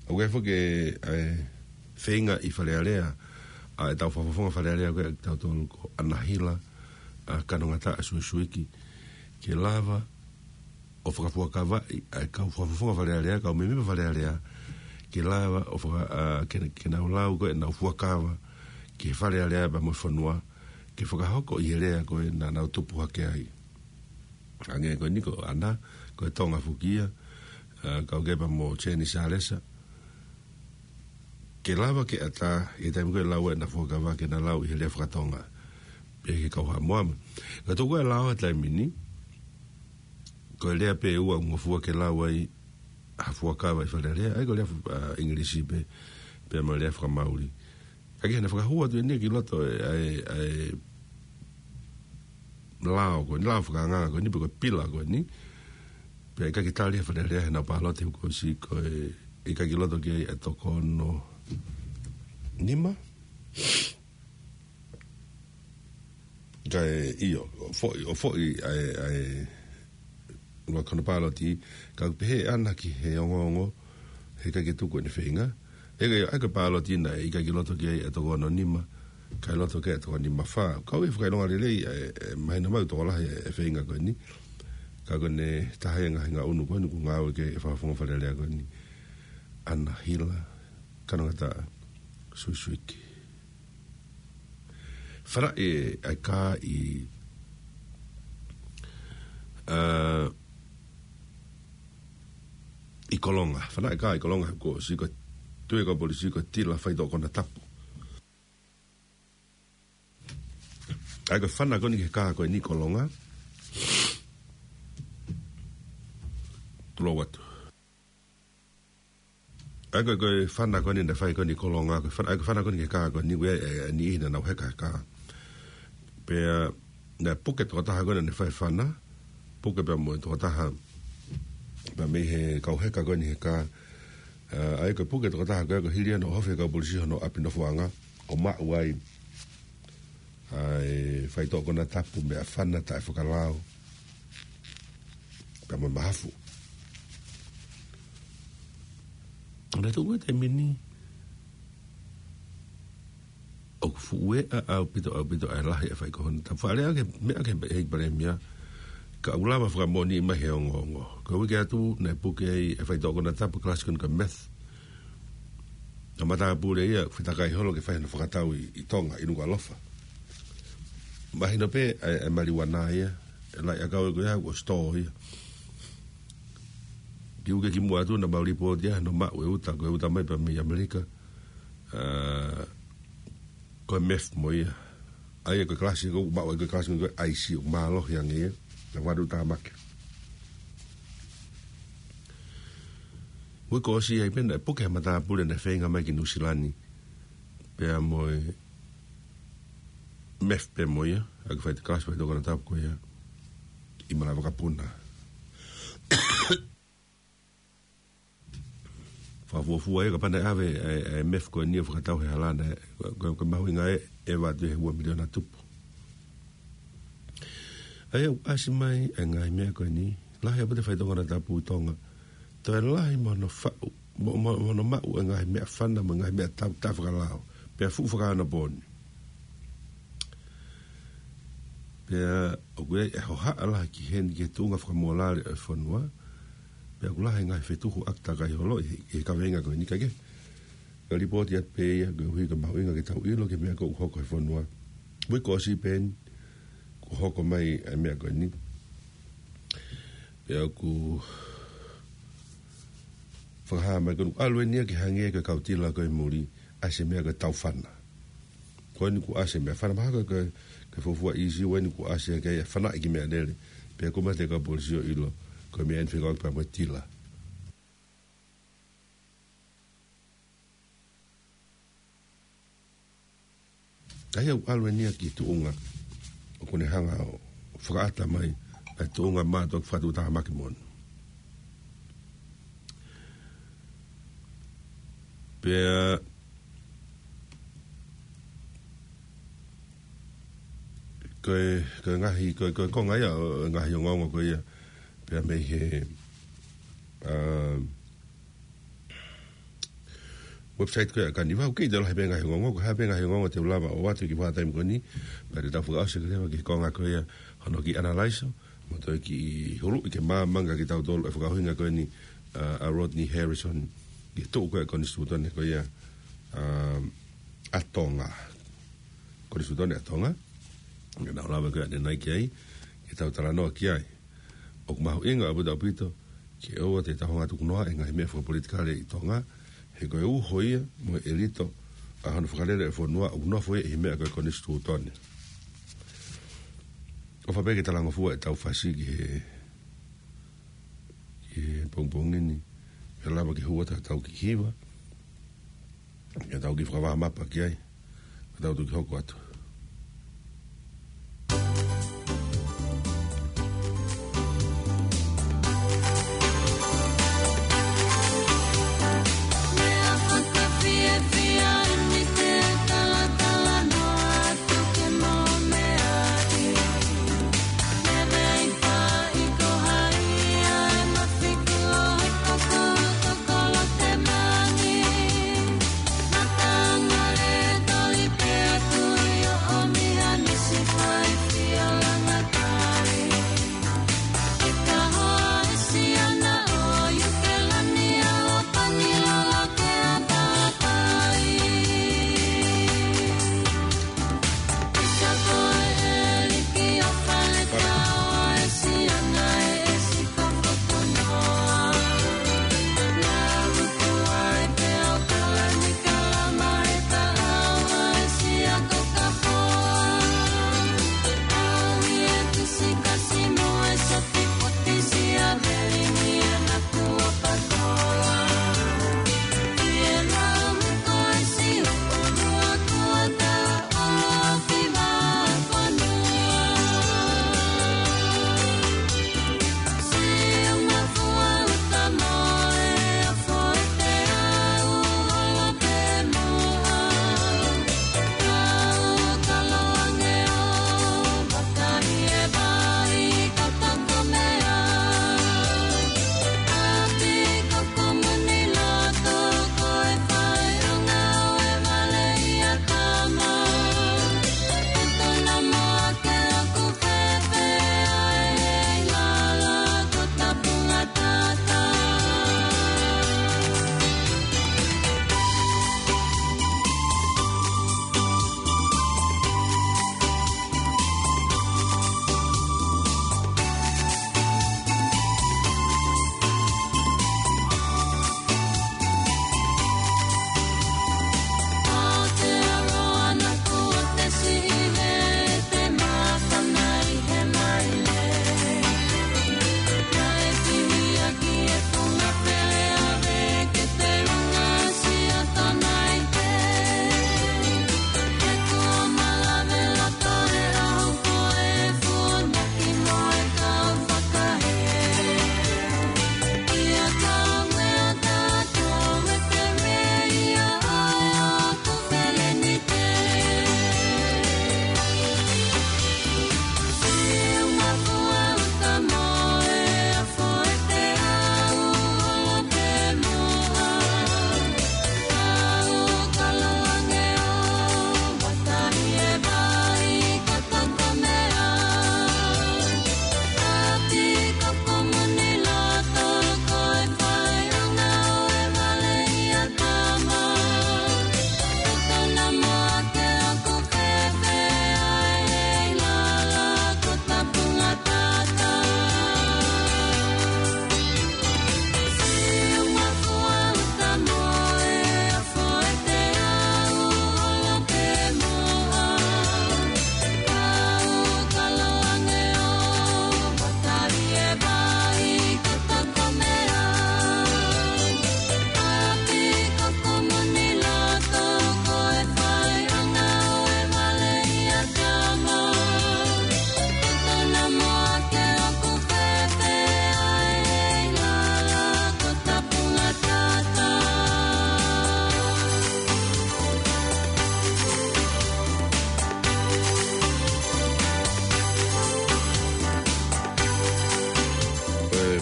ʻOku ʻi ai foki ʻa e feinga ʻi Fale Alea, ʻa ʻetau fakafofonga Fale Alea ko ē ʻa kitautolu ko ʻAnahila, ʻa, Kanongataʻa Suisuiki, ke lava ʻo fakafuakavaʻi ʻa e kau fakafofonga Fale Alea, kau mēmipa Fale Alea, ke lava ʻo faka-, ʻa, ke, ke nau lau ko ē ʻenau fuakava ki he Fale Alea pea mo e fonua, ke fakahoko ʻi he lea ko ē naʻa nau tupu hake ai. Hangē ko eni ko ʻAna, ko e Tonga foki ia, ʻa, kau ki ai pea mo Seni Salesa. Ke lava ke ʻatā, ʻi he taimi ko ē ʻe lau ai ʻena fuakava ke na lau ʻi he lea faka-Tonga. Pea ki he kau Haʻamoa mo. Ka tuku e lao he taimi ni, ko e lea pē ʻe ua ʻoku ngofua ke lau ai ha fuakava ʻi Fale Alea, ʻa ia ko e lea, ʻa, ʻIngilisi pē, pea mo e lea faka-Mauli. Ka ʻi heʻena fakahū atu eni ki loto ʻa e, ʻa e, ʻa e lao ko eni, lao fakaanga ko eni, pe ko e pila ko eni. Pea ʻikai ke tali ʻe Fale Alea heʻena pāloti he kuo ʻosi ko e ʻikai ke ʻi loto ki ai ʻa e toko ono nima. Kae ʻio, ʻo foʻi, ʻo foʻi ʻa e, ʻa e, ʻuluaki hono pāloti, ka ʻoku pehē ʻe ʻAna ki he ongoongo, heʻikai ke tuku ʻene feinga. ʻA ia ko e, ʻa ia ko e pāloti naʻe ʻikai ke ʻi loto ki ai ʻa e toko ono nima, kae ʻi loto ki ai ʻa e toko nima fā. Ka ʻoku ou fakaʻilonga lelei, ʻa e, ʻe mahino mai ʻoku tokolahi e, e feinga ko eni. Ka ko ʻene taha ia e ngaahi ngaʻunu ko eni ʻoku ngāueʻaki ʻe he fakafofonga Fale Alea ko eni. ʻAnahila Kanongataʻa Suisuiki. Fanaʻi ʻa e kā ʻi, ʻa, ʻi Kolonga. Fanaʻi e kā ʻi Kolonga he kuo ʻosi, ko e tui ʻa e kau polisi ko e tila faitoʻo konatapu. ʻA ia ko e fana ko eni ki he kā ko eni ʻi Kolonga. Tulou atu. ʻA ia ko e, ko e fana ko eni naʻe fai ko eni ʻi Kolonga, ko e fana, ʻa ia ko e fana ko eni ki he kā ko eni, ʻoku ʻi ai e, e niʻihi naʻa nau heka he kā. Pea naʻe puke tokotaha ko eni naʻe fai e fana, puke pea mo e tokotaha, pea mei he kau heka ko eni he kā, ʻa, ʻa ia ko e puke tokotaha ko ē, ko e hili ia hono ʻohofi ʻe he kau polisi hono ʻapi nofoʻanga, ʻo maʻu ai ʻa e faitoʻo konatapu, meʻafana taʻefakalao, pea mo e mahafu. Naʻe tuku e taimi ni, ʻoku fuʻu eʻa ʻaupito, ʻaupito ʻa e lahi ʻa e faitoʻo konatapu. Fakalea ke, meʻa ke he palēmia, ka ʻoku lava fakamoʻoni mai he ongoongo. Ko e uike atu, naʻe puke ai e faitoʻo konatapu, kalasi ko eni ko e meth. Naʻe matāpule ia, fetakai holo ke fai hono fakatau ʻi, ʻi Tonga, ʻi Nukuʻalofa. Mahino pē, ʻa e, ʻa e maliuana ia, ʻe lahi ʻakau ko ia, ʻoku ʻosi tō ia. Kiʻi uike kimuʻa atu, naʻa mau lipooti ai hono maʻu e uta, ko e uta mai pē mei ʻAmelika. ʻA, ko e meth mo ia. ʻA ia ko e kalasi, ko e maʻu ai ko e kalasi, ko e ʻaisi, ʻoku mālohi ange ia. Naʻe valu tāmaki. Uike kuo ʻosi ai pē naʻe puke ʻe he matāpule naʻe feinga mai ki Nuʻusila ni. Pea mo e meth pē mo ia, ʻa ia ko e fai e kalasi faitoʻo konatapu ko ia ʻi Malavakapuna. Fakafuofua ia kapau naʻe ʻave ʻa e, ʻa e meth ko eni ʻo fakatau he hala naʻe, ko, ko, ko e mahuʻinga ē, ʻe ʻeva atu he ua miliona tupu. ʻA ia ʻoku ʻasi mai e ngaahi meʻa ko eni, lahi ʻaupito e faitoʻo konatapu ʻi Tonga. Toe lahi mo hono faʻu, mo, mo, mo hono maʻu e ngaahi meʻafana, mo e ngaahi meʻatau, taʻefakalao. Pea fuʻu fakaonopōni. Pea ʻoku ʻi ai e hohaʻa lahi ki heni ki he tuʻunga fakamōlale ʻo e fonua. Pea ʻoku lahi e ngaahi fetuhu ʻaki takai holo ʻi he, ʻi he kaveinga ko eni ka ke. Ka lipooti atu pē ia, koeʻuhi ko e mahuʻinga ke tau ʻilo ki he meʻa ʻoku hoko he fonua. Uike kuo ʻosi pē eni, kuo hoko mai e meʻa ko eni. Pea ʻoku fakahā mai ko eni ʻoku ʻalu eni ia ke hangē ko e kau tila ko ē muli, ʻasi e meʻa ko e taufana. Ko eni kuo ʻasi e meʻafana mahalo ko e, ko e fuofua ʻīsiu eni kuo ʻasi hake ai e fanaʻi ki meʻalele. Pea ʻoku mate e kau polisi ʻo ʻilo, ko e meʻa eni fekauʻaki pea mo e tila. ʻA ia ʻoku ʻalu eni ia ki he tuʻunga ʻoku ne hanga ʻo fakaʻata mai ʻa e tuʻunga mātuʻaki fakatuʻutāmaki moʻoni. Pea ko e, ko e ngaahi, ko e, ko e konga ia ʻo e ngaahi ongoongo ko ia, pea mei he, ā, website ko ia ʻa Kaniva, ʻoku kei toe lahi pē ngaahi ongoongo, ko e hā pē ngaahi ongoongo te u lava ʻo ʻoatu ki he vahaʻa taimi ko eni, pea te tau fakaʻosi atu leva ki he konga ko ia hono kiʻi analaiso, mo toe kiʻi huluʻi ke maama ange kiate kitautolu e fakaʻuhinga ko eni, ā, ʻa Rodney Harrison, ki he tuʻu ko ia ʻa e konisitūtone ko ia, ā, ʻa Tonga. Konisitūtone ʻa Tonga, ke nau lava ko ia ʻanenai ki ai, ke tau talanoa ki ai. ʻOku mahuʻinga ʻaupito, ʻaupito, ke ʻoua te tau hanga ʻo tukunoaʻi e ngaahi meʻa fakapolitikale ʻi Tonga, he ko e uho ia mo e ʻelito ʻa hono fakalele e fonua ʻoku nofo ia ʻi he meʻa ko e konisitūtone. ʻOfa pē ke talangofua ʻetau fasi ki he, ki he pongipongi ni, ke lava ke hū atu ʻetau kiʻi hiva, ke tau kiʻi fakavaʻa mapa ki ai, ke tau toki hoko atu.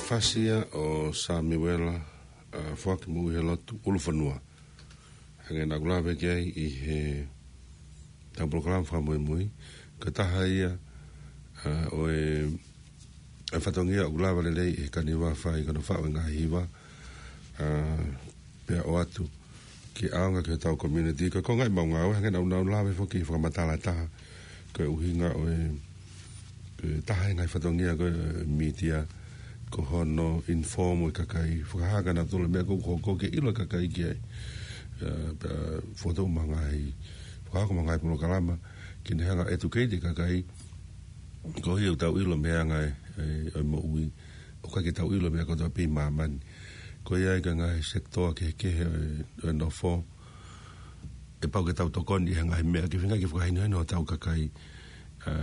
Fasi ia ʻo Samiuela, ʻa, Foaki Moʻui he Lotu, ʻUlufonua. Hangē naʻa ku lave ki ai ʻi heʻetau polokalama fakamuimui, ko e taha ia, ʻa, ʻo e, e fatongia ʻoku lava lelei ʻe he kaniva fai ki hono faʻu e ngaahi hiva, ʻa, pea ʻoatu ke ʻaonga ki hotau community. Ko e konga ia ʻemau ngāue, hangē naʻa ku lave foki he fakamatala ʻe taha, ko e ʻuhinga ʻo e, ko e taha e ngaahi fatongia ko e mītia, ko hono inform e kakai, fakahā kia nautolu e meʻa ʻoku hoko ke ʻilo e kakai ki ai. ʻA, pea fokotuʻu mo e ngaahi, fakahoko mo e ngaahi polokalama, ke ne hanga ʻo educate e kakai, koeʻuhi ʻoku tau ʻilo mei he anga e, e, e moʻui, ʻoku ʻikai ke tau ʻilo e meʻa kotoa pē ʻi māmani. Ko ia ai ko e ngaahi sekitoa kehekehe ʻo e, ʻo e nofo, ʻe pau ke tau tokoni ʻi he ngaahi meʻa ke feinga ke fakahinohino hotau kakai, ʻa,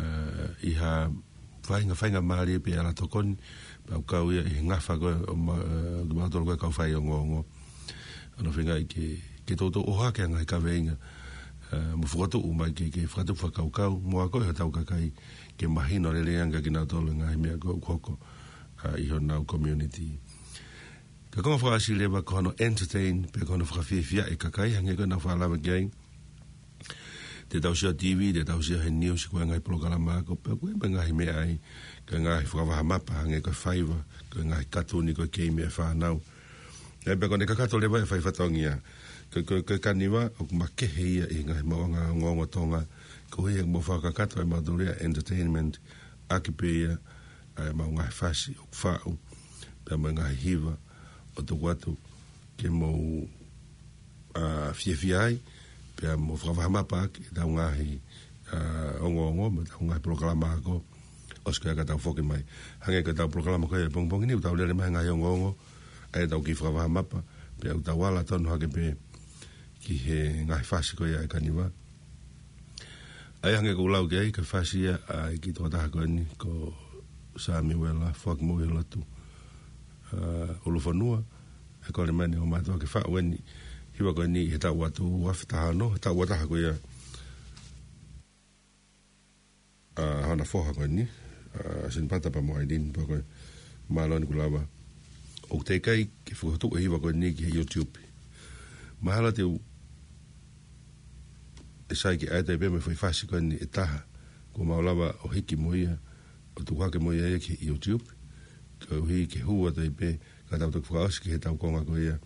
ʻi ha faʻahinga, faʻahinga mālie pē ʻa e ala tokoni, pea ʻoku kau ia ʻi he ngafa ko ē ʻo ma-, ʻa, kimautolu ko e kau faiongoongo. ʻA, ʻoku feinga ke, ke toutou ʻohake e ngaahi kaveinga, ʻa, mo fokotuʻu mai ke, ke fakatupu fakakaukau, mo akoʻi hotau kakai ke mahino lelei ange kia kinautolu e ngaahi meʻa ʻoku hoko, ʻa, ʻi honau community. Ko e konga fakaʻosi leva ko hono entertain, pe ko hono fakafiefiaʻi e kakai, hangē ko ʻeku fakalave ki ai. Te tau sio T V, te tau sio he news, ko e ngaahi polokalama ako, pe ko e ngaahi meʻa ai, ko e ngaahi fakavahamapa, hangē ko e faiva, ko e ngaahi katuni, ko e keimi ʻa e fānau. ʻE, pea ko ʻene kakato leva e fai fatongia. Ko, ko, ko e kaniva, ʻoku makehe ia ʻi he ngaahi maʻuʻanga ongoongo Tonga, koeʻuhi he ʻoku mau fakakakato ʻe mautolu ia e entertainment, ʻaki pē ia, ʻa ʻemau ngaahi fasi ʻoku faʻu, pea mo e ngaahi hiva ʻoku tuku atu ke mou, ʻa, fiefia ai, pea mo fakavahamapa ʻaki ʻetau ngaahi, ʻa, ongoongo, mo ʻetau ngaahi polokalama ako, ʻosi ko ia ka tau foki mai. Hangē ko ʻetau polokalama ko ia he pongipongi ni, ʻoku tau lele mai he ngaahi ongoongo, ʻa ia ʻoku tau kiʻi fakavahamapa, pea ʻoku tau ala tonu hake pē ki he ngaahi fasi ko ia ʻa e kaniva. ʻA ia hangē ko ʻeku lau ki ai, ko e fasi ia ʻa e kiʻi tokotaha ko eni, ko Samiuela Foaki Moʻui he Lotu, ʻa, ʻUlufonua, ʻe kole mai ʻe he ongo mātuʻa ke faʻu eni, hiva ko eni he taʻu atu ua afe taha ono, he taʻu ua taha ko ia, ʻa, hona foha ko eni, ʻa, Sinipata pea mo ʻAilini, pea ko e mālō eni kuo lava. ʻOku teʻeki ai ke fokotuʻu e hiva ko eni ki he YouTube. Mahalo te u ʻe sai ke ʻai atu pē mo e foʻi fasi ko eni ʻe taha, kuo mau lava ʻo hiki mo ia, ʻo tuku hake mo ia ia ki he YouTube, koeʻuhi ke hū atu ai pē, ka tau toki fakaʻosi ki heʻetau konga ko ia,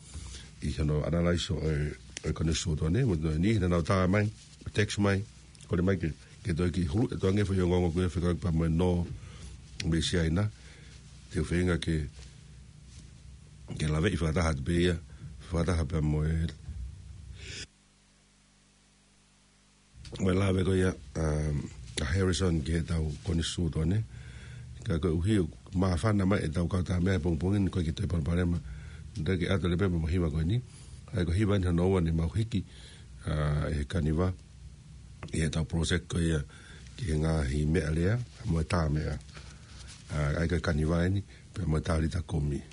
ʻi hono analyze ʻo e, ʻo e Konisitūtone, mo e niʻihi naʻa nau tā mai, text mai, kole mai ke, ke toe kiʻi huluʻi atu ange e foʻi ongoongo ko ia fekauʻaki pea mo e nō mei Siaina, te u feinga ke, ke laveʻi fakataha atu pē ia, fakataha pea mo e, mo e lave ko ia, um, ʻa Harrison ki heʻetau Konisitūtone. Ka koeʻuhi ʻoku māfana mai ʻetau kau tā meʻa he pongipongi ni, ʻoku ʻikai ke toe palopalema. Te u kiʻi ʻoatu leva pē mo e hiva ko eni. ʻA ia ko e hiva eni hono ua naʻe mau hiki, ʻa, ʻe he kaniva ʻi heʻetau project ko ia ki he ngaahi meʻalea mo e tā meʻa. ʻA, ʻa ia ko e kaniva eni, pea mo e talita kumi.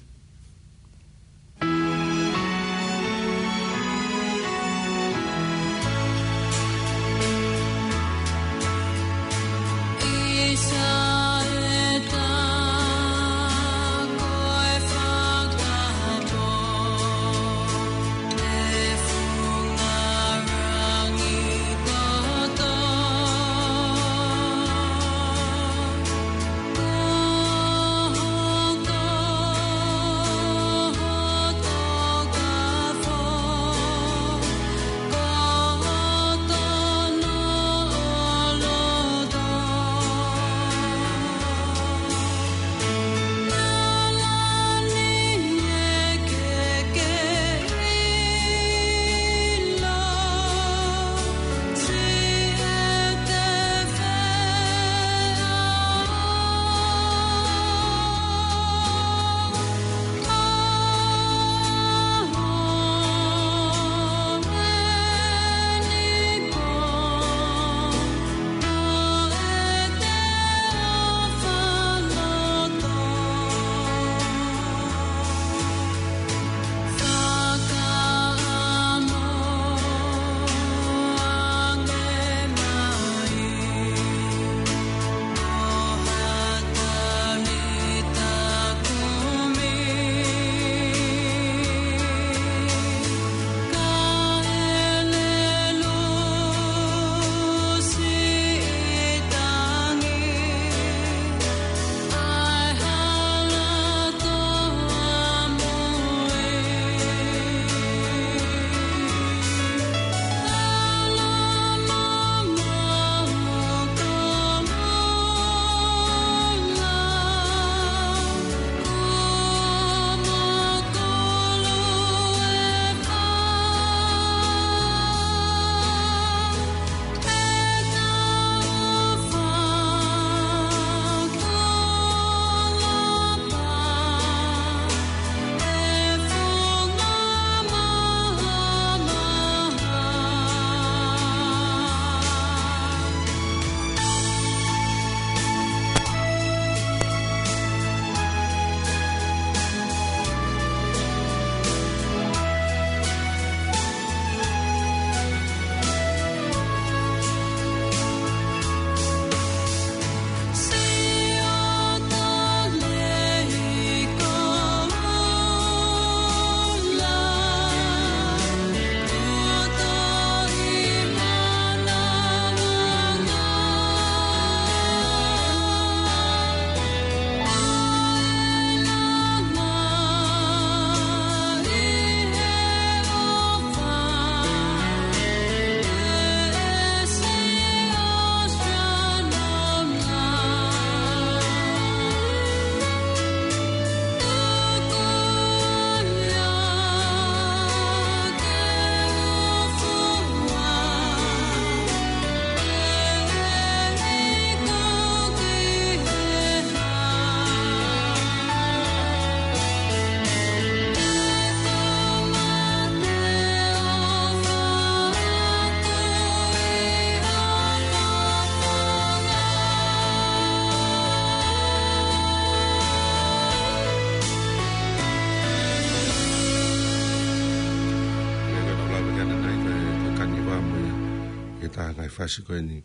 Ka ngaahi fasi ko eni,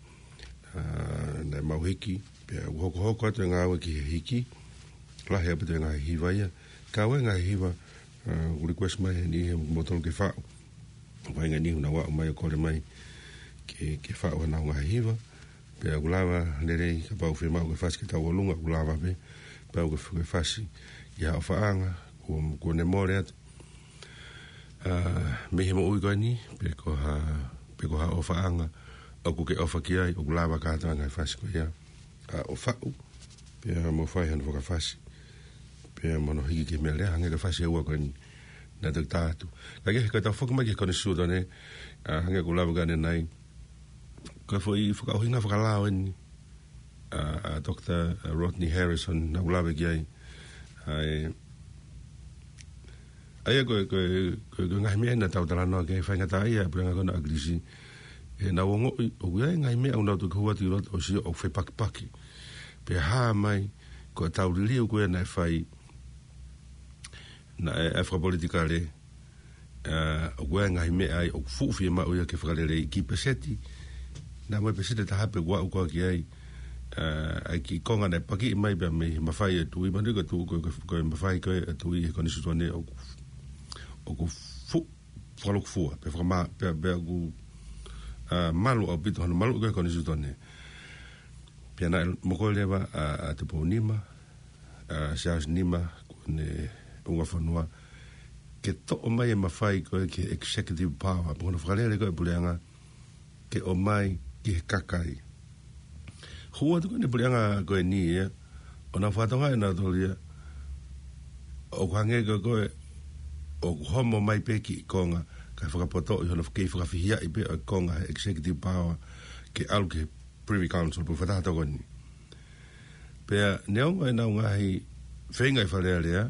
ā, naʻe mau hiki, pea ʻoku hokohoko atu e ngāue ki he hiki, lahi ʻaupito e ngaahi hiva ia. Ka ʻoku ʻi ai e ngaahi hiva, ā, ʻoku request mai heni he motolo ke faʻu. Vainga ni ʻoku nau aʻu mai ʻo kole mai ke, ke faʻu hanau ngaahi hiva. Pea ʻoku lava lelei kapau ʻe fiemaʻu ke fasi ke tau ʻolunga, ʻoku lava pē. Pea ʻoku ke fasi ʻi ha ʻofaʻanga, kuo, kuo ne mole atu. Ā, mei he moʻui ko eni, pe ko ha, pe ko ha ʻofaʻanga ʻoku ke ʻofa ki ai, ʻoku lava kātoa e ngaahi fasi ko ia. Ā, ʻo faʻu, pea mo fai hano fakafasi, pea mo hono hiki ki he meʻa lea, hangē ko e fasi ʻe ua ko eni naʻe toki tā atu. Ka ke, ko ʻetau foki mai ki he Konisitūtone, ā, hangē ko ʻeku lave ko ē ʻanenai, ko e foʻi fakaʻuhinga fakalao eni, ā, ʻa Doctor Rodney Harrison naʻá ku lave ki ai. ʻA e, ʻa ia ko e, ko e, ko e, ko e ngaahi meʻa naʻa tau talanoa ki ai, faingataʻaʻia e puleʻanga ko ena ʻa ʻAkilisi. He naʻá ku ongoʻi ʻoku ʻi ai e ngaahi meʻa ʻoku nau toki hū atu ʻi loto ʻo sio ʻoku fepakipaki. Pea hā mai, ko ʻetau liliu ko ē naʻe fai, naʻe, ʻa e fakapolitikale, ā, ʻoku ʻi ai e ngaahi meʻa ai ʻoku fuʻu fiemaʻu ia ke fakaleleiʻi, kiʻi peseti, naʻa mo e peseti ʻe taha pē kuo aʻu koā ki ai, ā, ʻa e kiʻi konga naʻe pakiʻi mai pea mei he mafai ʻa e tuʻi, mahino ko e tuʻi, ko e, ko e, ko e mafai ko ē ʻa e tuʻi he Konisitūtone ʻoku, ʻoku fuʻu fakalūkufua, pea fakamā-, pea, pea ʻoku, ā, malu ʻaupito hano maluʻi ko ē Konisitūtone. Pea naʻe mokoi leva ʻa, ʻa Tupou Nima, ā, Siaosi Nima, kuo ne unga fonua, ke toʻo mai e mafai ko ē ki he executive power, pe ko hono fakalele ko ē puleʻanga, ke ʻomai ki he kakai. Hū atu ko eni puleʻanga ko eni ia, ʻo nau fakatonga ʻe nautolu ia, ʻoku hangē ko ē ko ē, ʻoku homo mai pē kiʻi konga, kae fakapotoʻi hono kei fakafihiaʻi pē ʻo e konga he executive power, ke ʻalu ki he Privy Council, pe ko e Fakataha Tokoni. Pea neongo ʻenau ngaahi feinga ʻi Fale Alea,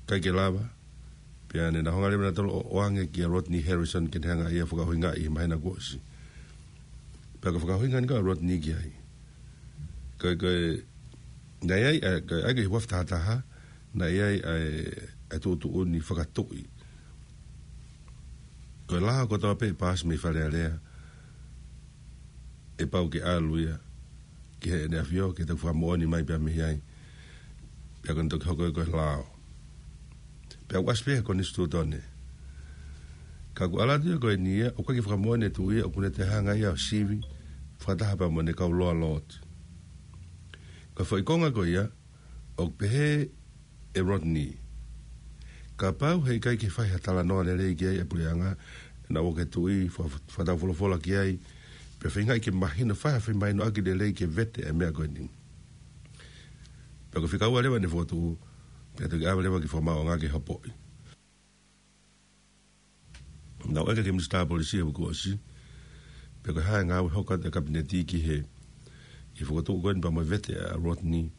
ʻikai ke lava, pea ne nau hanga leva nautolu ʻo ʻoange kia Rodney Harrison ke ne hanga ʻe ia ʻo fakaʻuhingaʻi he māhina kuo ʻosi. Pea ko e fakaʻuhinga eni ko ē ʻa Rodney ki ai. Ko e, ko e, naʻe ʻi ai, ē, ko e, ʻa ia ko e ʻi he ua afe taha taha, naʻe ʻi ai, ē, ʻa e tuʻutuʻuni fakatuʻi. Ko e lao kotoa pē ʻe paasi mei Fale Alea, ʻe pau ke ʻalu ia ki heʻene ʻAfio, ke toki fakamoʻoni mai pea mei ai. Pea ko ʻene toki hoko ia ko e lao. Pea ʻoku ʻasi pē he Konisitūtone. Ka ʻoku ʻalu atu ia ko eni ia, ʻoku ʻikai ke fakamoʻoni e tuʻi ia, ʻoku ne toe hanga ia ʻo sivi, fakataha pea mo ʻene kau loalooti. Ko e foʻi konga ko ia, ʻoku pehē ʻe Rodney, kapau heʻikai ke fai ha talanoa lelei ki ai e puleʻanga, naʻa ʻoku ke tuʻi, fa-, fakataufolofola ki ai, pea feingaʻi ke mahino, fai ha femahinoʻaki lelei ke vete e meʻa ko eni. Pea ko e fika ua leva ʻene fokotuʻu, pea toki ʻave leva ki he Fakamaauʻanga ke hopoʻi. Naʻe ʻeke ki he Minisitā Polisi he uike kuo ʻosi, pe ko e hā e ngāue hoko atu e Kapineti ki he, ki he fokotuʻu ko eni pea mo e vete ʻa Rodney.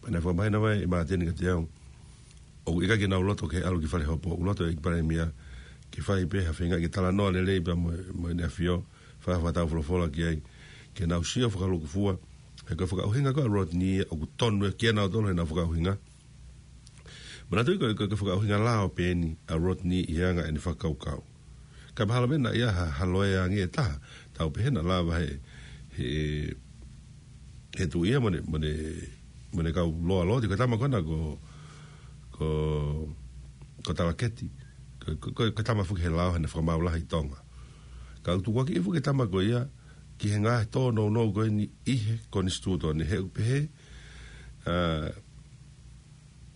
Pea naʻe fakamahino mai ʻe Māteni kiate au, ʻoku ʻikai ke nau loto ke ʻalu ki fale hopo, ʻoku loto e ʻEiki Palēmia ke fai pē ha feinga ke talanoa lelei pea mo, mo ʻEne ʻAfio, fai ha fakataufolofola ki ai, ke nau sio fakalūkufua, he ko e fakaʻuhinga ko ē ʻa Rodney ʻoku tonu ia kia nautolu ʻenau fakaʻuhinga. Manatuʻi ko e, ko e, ko e fakaʻuhinga lao pē eni ʻa Rodney ʻi he anga ʻene fakakaukau. Ka mahalo pē naʻe ʻi ai ha, ha loea ange ʻe taha, tau pehē naʻe lava he, he, he tuʻi ia mo ʻene, mo ʻene, mo ʻene kau loalooti, ko e tama ko ena ko, ko, ko Talaketi, ko, ko, ko, ko e tama foki he lao he naʻe fakamaau lahi ʻi Tonga. Ka ʻoku tukuakiʻi foki e tama ko ia ki he ngaahi tōnounou ko eni ʻi he Konisitūtone, he ʻoku pehē, ā,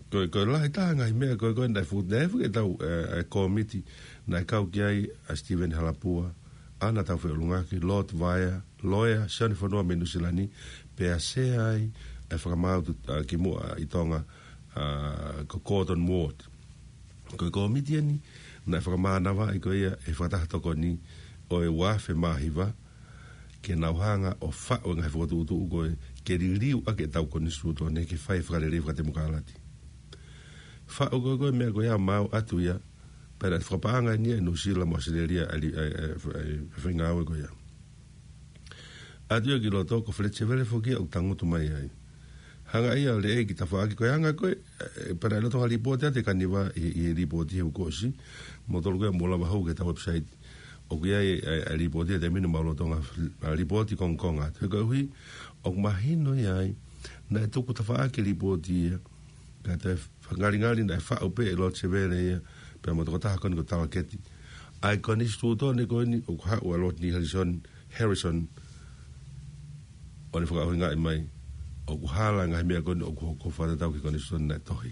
ko e, ko e lahi taha ngaahi meʻa ko ē, ko ē naʻe fuʻu, naʻe fuʻu ke tau, ē, e kōmiti, naʻe kau ki ai ʻa Stephen Halapua, ʻAna Taufeʻulungaki, Lord Vaea, loea, Sione Fonua mei Nuʻu Sila ni, pea sea ai e fakamaau tu-, ā, kimuʻa ʻi Tonga, ā, ko Gordon Ward. Ko e kōmiti eni, naʻe fakamānavaʻi ko ia ʻe he Fakataha Tokoni ʻo e ua afe mā hiva, ke nau hanga ʻo faʻu e ngaahi fokotuʻutuʻu ko ē, ke liliu ʻaki ʻetau Konisitūtone ke fai e fakalelei fakatemokalati. Faʻu ko ē, ko e meʻa ko ia ʻo maau atu ia, pea naʻe fakapaʻanga eni ia ʻe Nuʻu Sila mo ʻAositelēlia ʻa e, ʻa e, ʻa e, ʻa e, ʻa e faingāue ko ia. ʻAtu ia ki loto ko Fletcher Vele foki ia ʻoku tangutu mai ai. Hanga ia ʻo leʻei ki tafaʻaki ko e anga ko ē, ē, pea naʻe loto ha lipooti ʻa e Kaniva ʻi, ʻi he lipooti he uike kuo ʻosi, mo tolu ko ē mou lava hau ki heʻetau website. ʻOku ʻi ai ʻa e, ʻa e lipooti ʻa e taimi ni mau lolotonga, ʻa e lipooti kongokonga atu. He koeʻuhi, ʻoku mahino ia ai, naʻe tuku tafaʻaki e lipooti ia, ka toe fakangalingali naʻe faʻu pē ʻe Lord Sevele ia, pea mo e tokotaha ko eni ko Talaketi. ʻA e konisitūtone ko eni, ʻoku haʻu ʻa Rodney Harrison, Harrison, ʻo ne fakaʻuhingaʻi mai, ʻoku hala ngaahi meʻa ko eni, ʻoku hoko fakatatau ki he konisitūtone naʻe tohi.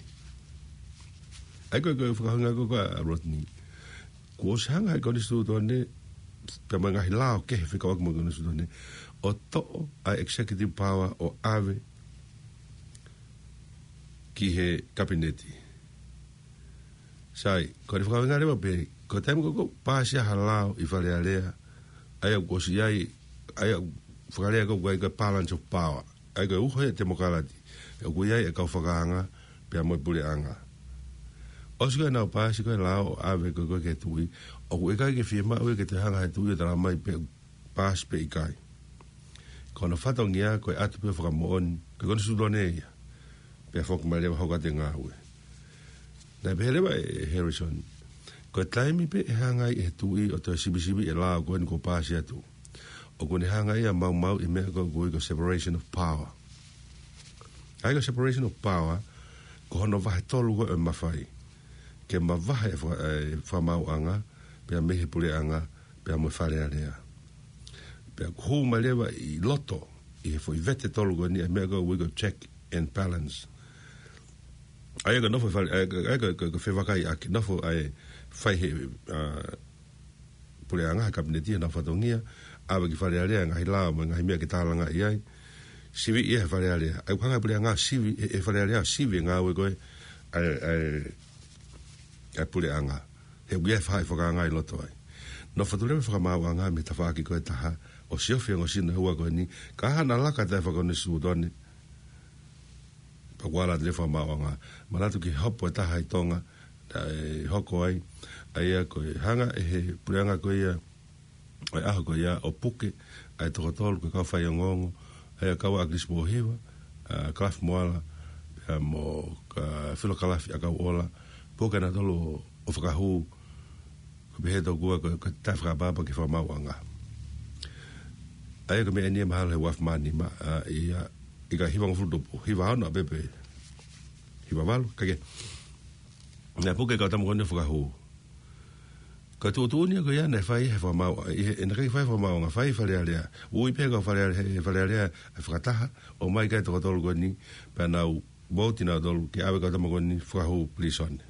ʻA ia ko e, ko e fakaʻuhinga ko ē ʻa Rodney. Kuo ʻosi hanga ʻe he konisitūtone, pea mo e ngaahi lao kehe fekauʻaki mo e konisitūtone, ʻo toʻo ʻa e executive power ʻo ʻave ki he kapineti. Sai, ko e fakaʻuhinga leva pē, ko e taimi ko ē ʻoku paasi ai ha lao ʻi Fale Alea, ʻa ia ʻoku ʻosi ʻi ai, ʻa ia ʻoku fakalea ko ē ʻoku ʻi ai ko e balance of power. ʻA ia ko e uho ia ʻa e temokalati, ʻoku ʻi ai e kau fakaanga, pea mo e puleʻanga. ʻOsi ko ē ʻenau paasi ko ē e lao ʻo ʻave ko ē ki he tuʻi, ʻoku ʻikai ke fiemaʻu ia ke toe hanga ʻe he tuʻi ʻo tala mai pe paasi pe ʻikai. Ko hono fatongia ko e ʻatu pē ʻo fakamoʻoni, ko e konisitūtone ia. Pea foki mai leva hoko atu e ngāue. Naʻe pehē leva ʻe Harrison, ko e taimi pē ʻe hanga ai ʻe he tuʻi ʻo toe sivisiviʻi e lao ko eni kuo paasi atu, ʻoku ne hanga ia ʻo maumauʻi e meʻa ko ē ʻoku ui ko e separation of power. ʻA ia ko e separation of power, ko hono vahe tolu ko ē ʻo e mafai. Ke mavahe e faka-, e fakamaauʻanga, pea mei he puleʻanga, pea mo e Fale Alea. Pea ʻoku hū mai leva ʻi loto, ʻi he foʻi vete tolu ko eni, ʻa e meʻa ko ē ʻoku ui ko e check and balance. ʻA ia ko e nofo e Fale, ʻa ia ko e, ʻa ia ko e, ko e, ko e fevakaiʻaki, nofo ʻa e fai he, ʻa, puleʻanga, he kapineti, ʻenau fatongia, ʻave ki Fale Alea e ngaahi lao mo e ngaahi meʻa ke tālangaʻi ai. Siviʻi ia he Fale Alea. ʻA ia ʻoku hanga ʻe he puleʻanga ʻo sivi, ʻe, ʻe Fale Alea ʻo sivi e ngāue ko ē ʻa e, ʻa e, ʻa e puleʻanga. He ʻoku ʻi ai e faʻahi fakaanga ʻi loto ai. Nofo atu leva e fakamaauʻanga mei he tafaʻaki ko ē ʻe taha, ʻo siofi e ongo sino ʻe ua ko eni, ka hanga ʻo laka atu e fakakonisitūtone, pea kuo ala atu leva e fakamaauʻanga. Manatu ki he hopo ʻe taha ʻi Tonga, naʻe hoko ai, ʻa ia ko e hanga ʻe he puleʻanga ko ia, ʻo e ʻaho ko ia ʻo puke ʻa e toko tolu ko e kau faiongoongo, ʻa ia kau ʻa ʻAkilisi Pōhiva, ʻa Kalafi Moala, pea mo, ʻa, Filo Kalafi ʻAkauʻola, puke nautolu ʻo fakahū, ko e pehē tokua ko e, ko e taʻefakaʻapaʻapa ki he fakamaauʻanga. ʻA ia ko e meʻa eni ia mahalo he ua afe mā nima, ʻa, ʻi he, ʻi he hiva ngofulu tupu, hiva ono ʻa pē pe hiva valu, kae kehe. Naʻe puke e kau tama ko eni ʻo fakahū. Ko e tuʻutuʻuni ia ko ia naʻe fai he fakamaau, ʻi he, naʻe ʻikai fai he fakamaauʻanga, fai he Fale Alea. Ui pē kau Fale Alea, he Fale Alea ʻa e fakataha, ʻomai ki ai e toko tolu ko eni, pea nau vouti nautolu ke ʻave e kau tama ko eni ʻo fakahū pilīsone.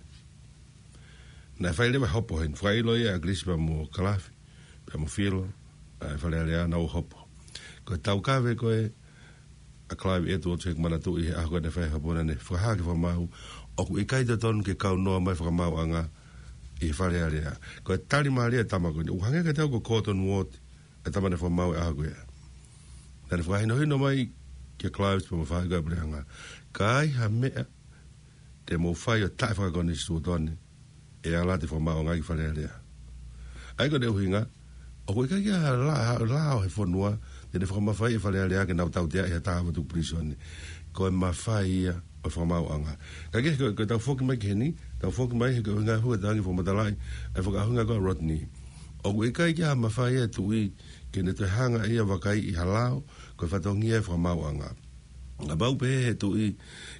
Naʻe fai leva e hopo heni, fakaʻilo ia ʻe ʻAkilisi pea mo Kalafi, pea mo Filo, ʻa e Fale Alea naʻa nau hopo. Ko e taukave ko ē ʻa Clive Edwards, he ʻoku ou manatuʻi he ʻaho ko ē naʻe fai e hopo naʻa ne fakahā ki he fakamaau, ʻoku ʻikai totonu ke kau noa mai e fakamaauʻanga ʻi he Fale Alea. Ko e tali mālie ʻa e tama ko eni, ʻoku hangē kiate au ko Cotton Ward, e tama naʻe fakamaau he ʻaho ko ia. Naʻa ne fakahinohino mai kia Clive pea mo e faʻahi ko ē ʻa e puleʻanga, ka ai ha meʻa te mou fai ʻo taʻefakakonisitūtone, ʻe ala atu e fakamaauʻanga ki Fale Alea. ʻA ia ko hono ʻuhinga, ʻoku ʻikai ke ʻi ai ha la-, ha lao he fonua te ne fakamafaiʻi e Fale Alea ke nau tauteaʻi ha taha ʻoku tuku pilīsone. Ko e mafai ia ʻo e fakamaauʻanga. Kae kehe, ko, ko ʻetau foki mai ki heni, tau foki mai he ko e ʻuhinga hua tau angi fakamatalaʻi ʻa e fakaʻuhinga ko ē ʻa Rodney. ʻOku ʻikai ke ʻi ai ha mafai ʻa e tuʻi ke ne toe hanga ia ʻo vakaiʻi ha lao, ko e fatongia e fakamaauʻanga. Kapau pē he tuʻi,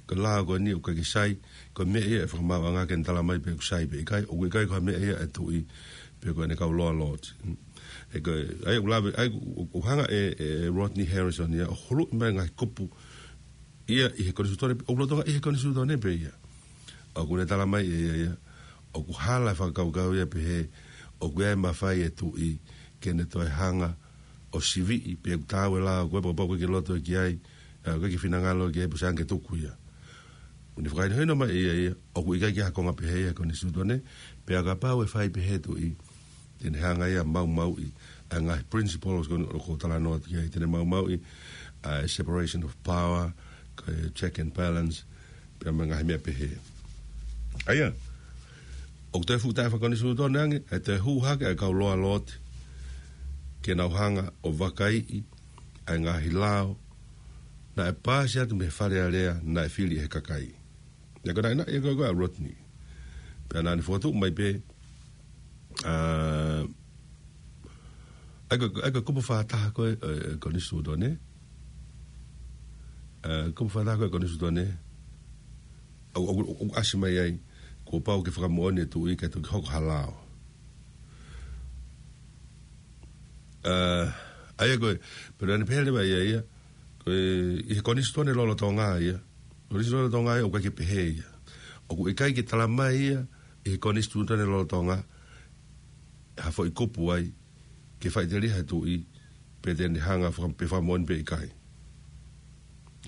ko e lao ko eni ʻoku ʻikai ke sai, ko e meʻa ia ʻa e fakamaauʻanga ke ne tala mai pe ʻoku sai pe ʻikai, ʻoku ʻikai ko ha meʻa ia ʻa e tuʻi, pe ko ʻene kau loa lord. He ko e, ʻa ia ʻoku lave, ʻa ia ʻoku, ʻoku hanga ʻe, ʻe Rodney Harrison ia ʻo huluʻi mai e ngaahi kupu ia ʻi he konisitūtone, ʻoku lolotonga ʻi he konisitūtone pē ia. ʻOku ne tala mai ʻe ia ia, ʻoku hala e fakakaukau ia pehē, ʻoku ʻi ai e mafai ʻa e tuʻi ke ne toe hanga ʻo siviʻi pe ʻoku taau e lao ko ē, pea kapau ʻoku ʻikai ke loto ki ai, ʻa, ʻoku ʻikai ke finangalo ki ai, pea sai ange ke tuku ia. ʻOku ne fakahinohino mai ʻe ia ia, ʻoku ʻikai ke ʻi ai ha konga pehē ia he konisitūtone, pea kapau ʻe fai pehē e tuʻi, te ne hanga ia ʻo maumauʻi ʻa e ngaahi principles ko eni ʻoku ou talanoa atu ki ai, te ne maumauʻi ʻa e separation of power, ko e check and balance, pea mo e ngaahi meʻa pehē. ʻA ia, ʻoku toe fuʻu taʻefakakonisitūtone ange, ʻa e toe hū hake ʻa e kau loa lord, ke nau hanga ʻo vakaiʻi ʻa e ngaahi lao naʻe paasi atu mei he Fale Alea naʻe fili ʻe he kakai. Naʻe ko e naʻinaʻi ia ko ē ʻa Rodney. Pea naʻa ne fokotuʻu mai pē, ʻa, ʻA ia ko e, ʻa ia ko e kupu fā taha ko ē, ē, Konisitūtone. Ē, kupu fā taha ko ē Konisitūtone. ʻOku, ʻoku, ʻoku ʻasi mai ai, kuo pau ke fakamoʻoni e tuʻi kae toki hoko ha lao. Ē, ʻa ia ko e, pea naʻe pehē leva ia ia, ko e, ʻi he Konisitūtone lolotonga ia. Konisitūtone lolotonga ia, ʻoku ʻikai ke pehē ia. ʻOku ʻikai ke tala mai ia, ʻi he Konisitūtone lolotonga, ha foʻi kupu ai, ke faʻiteliha e tuʻi, pe te ne hanga faka-, pe fakamoʻoni pe ʻikai.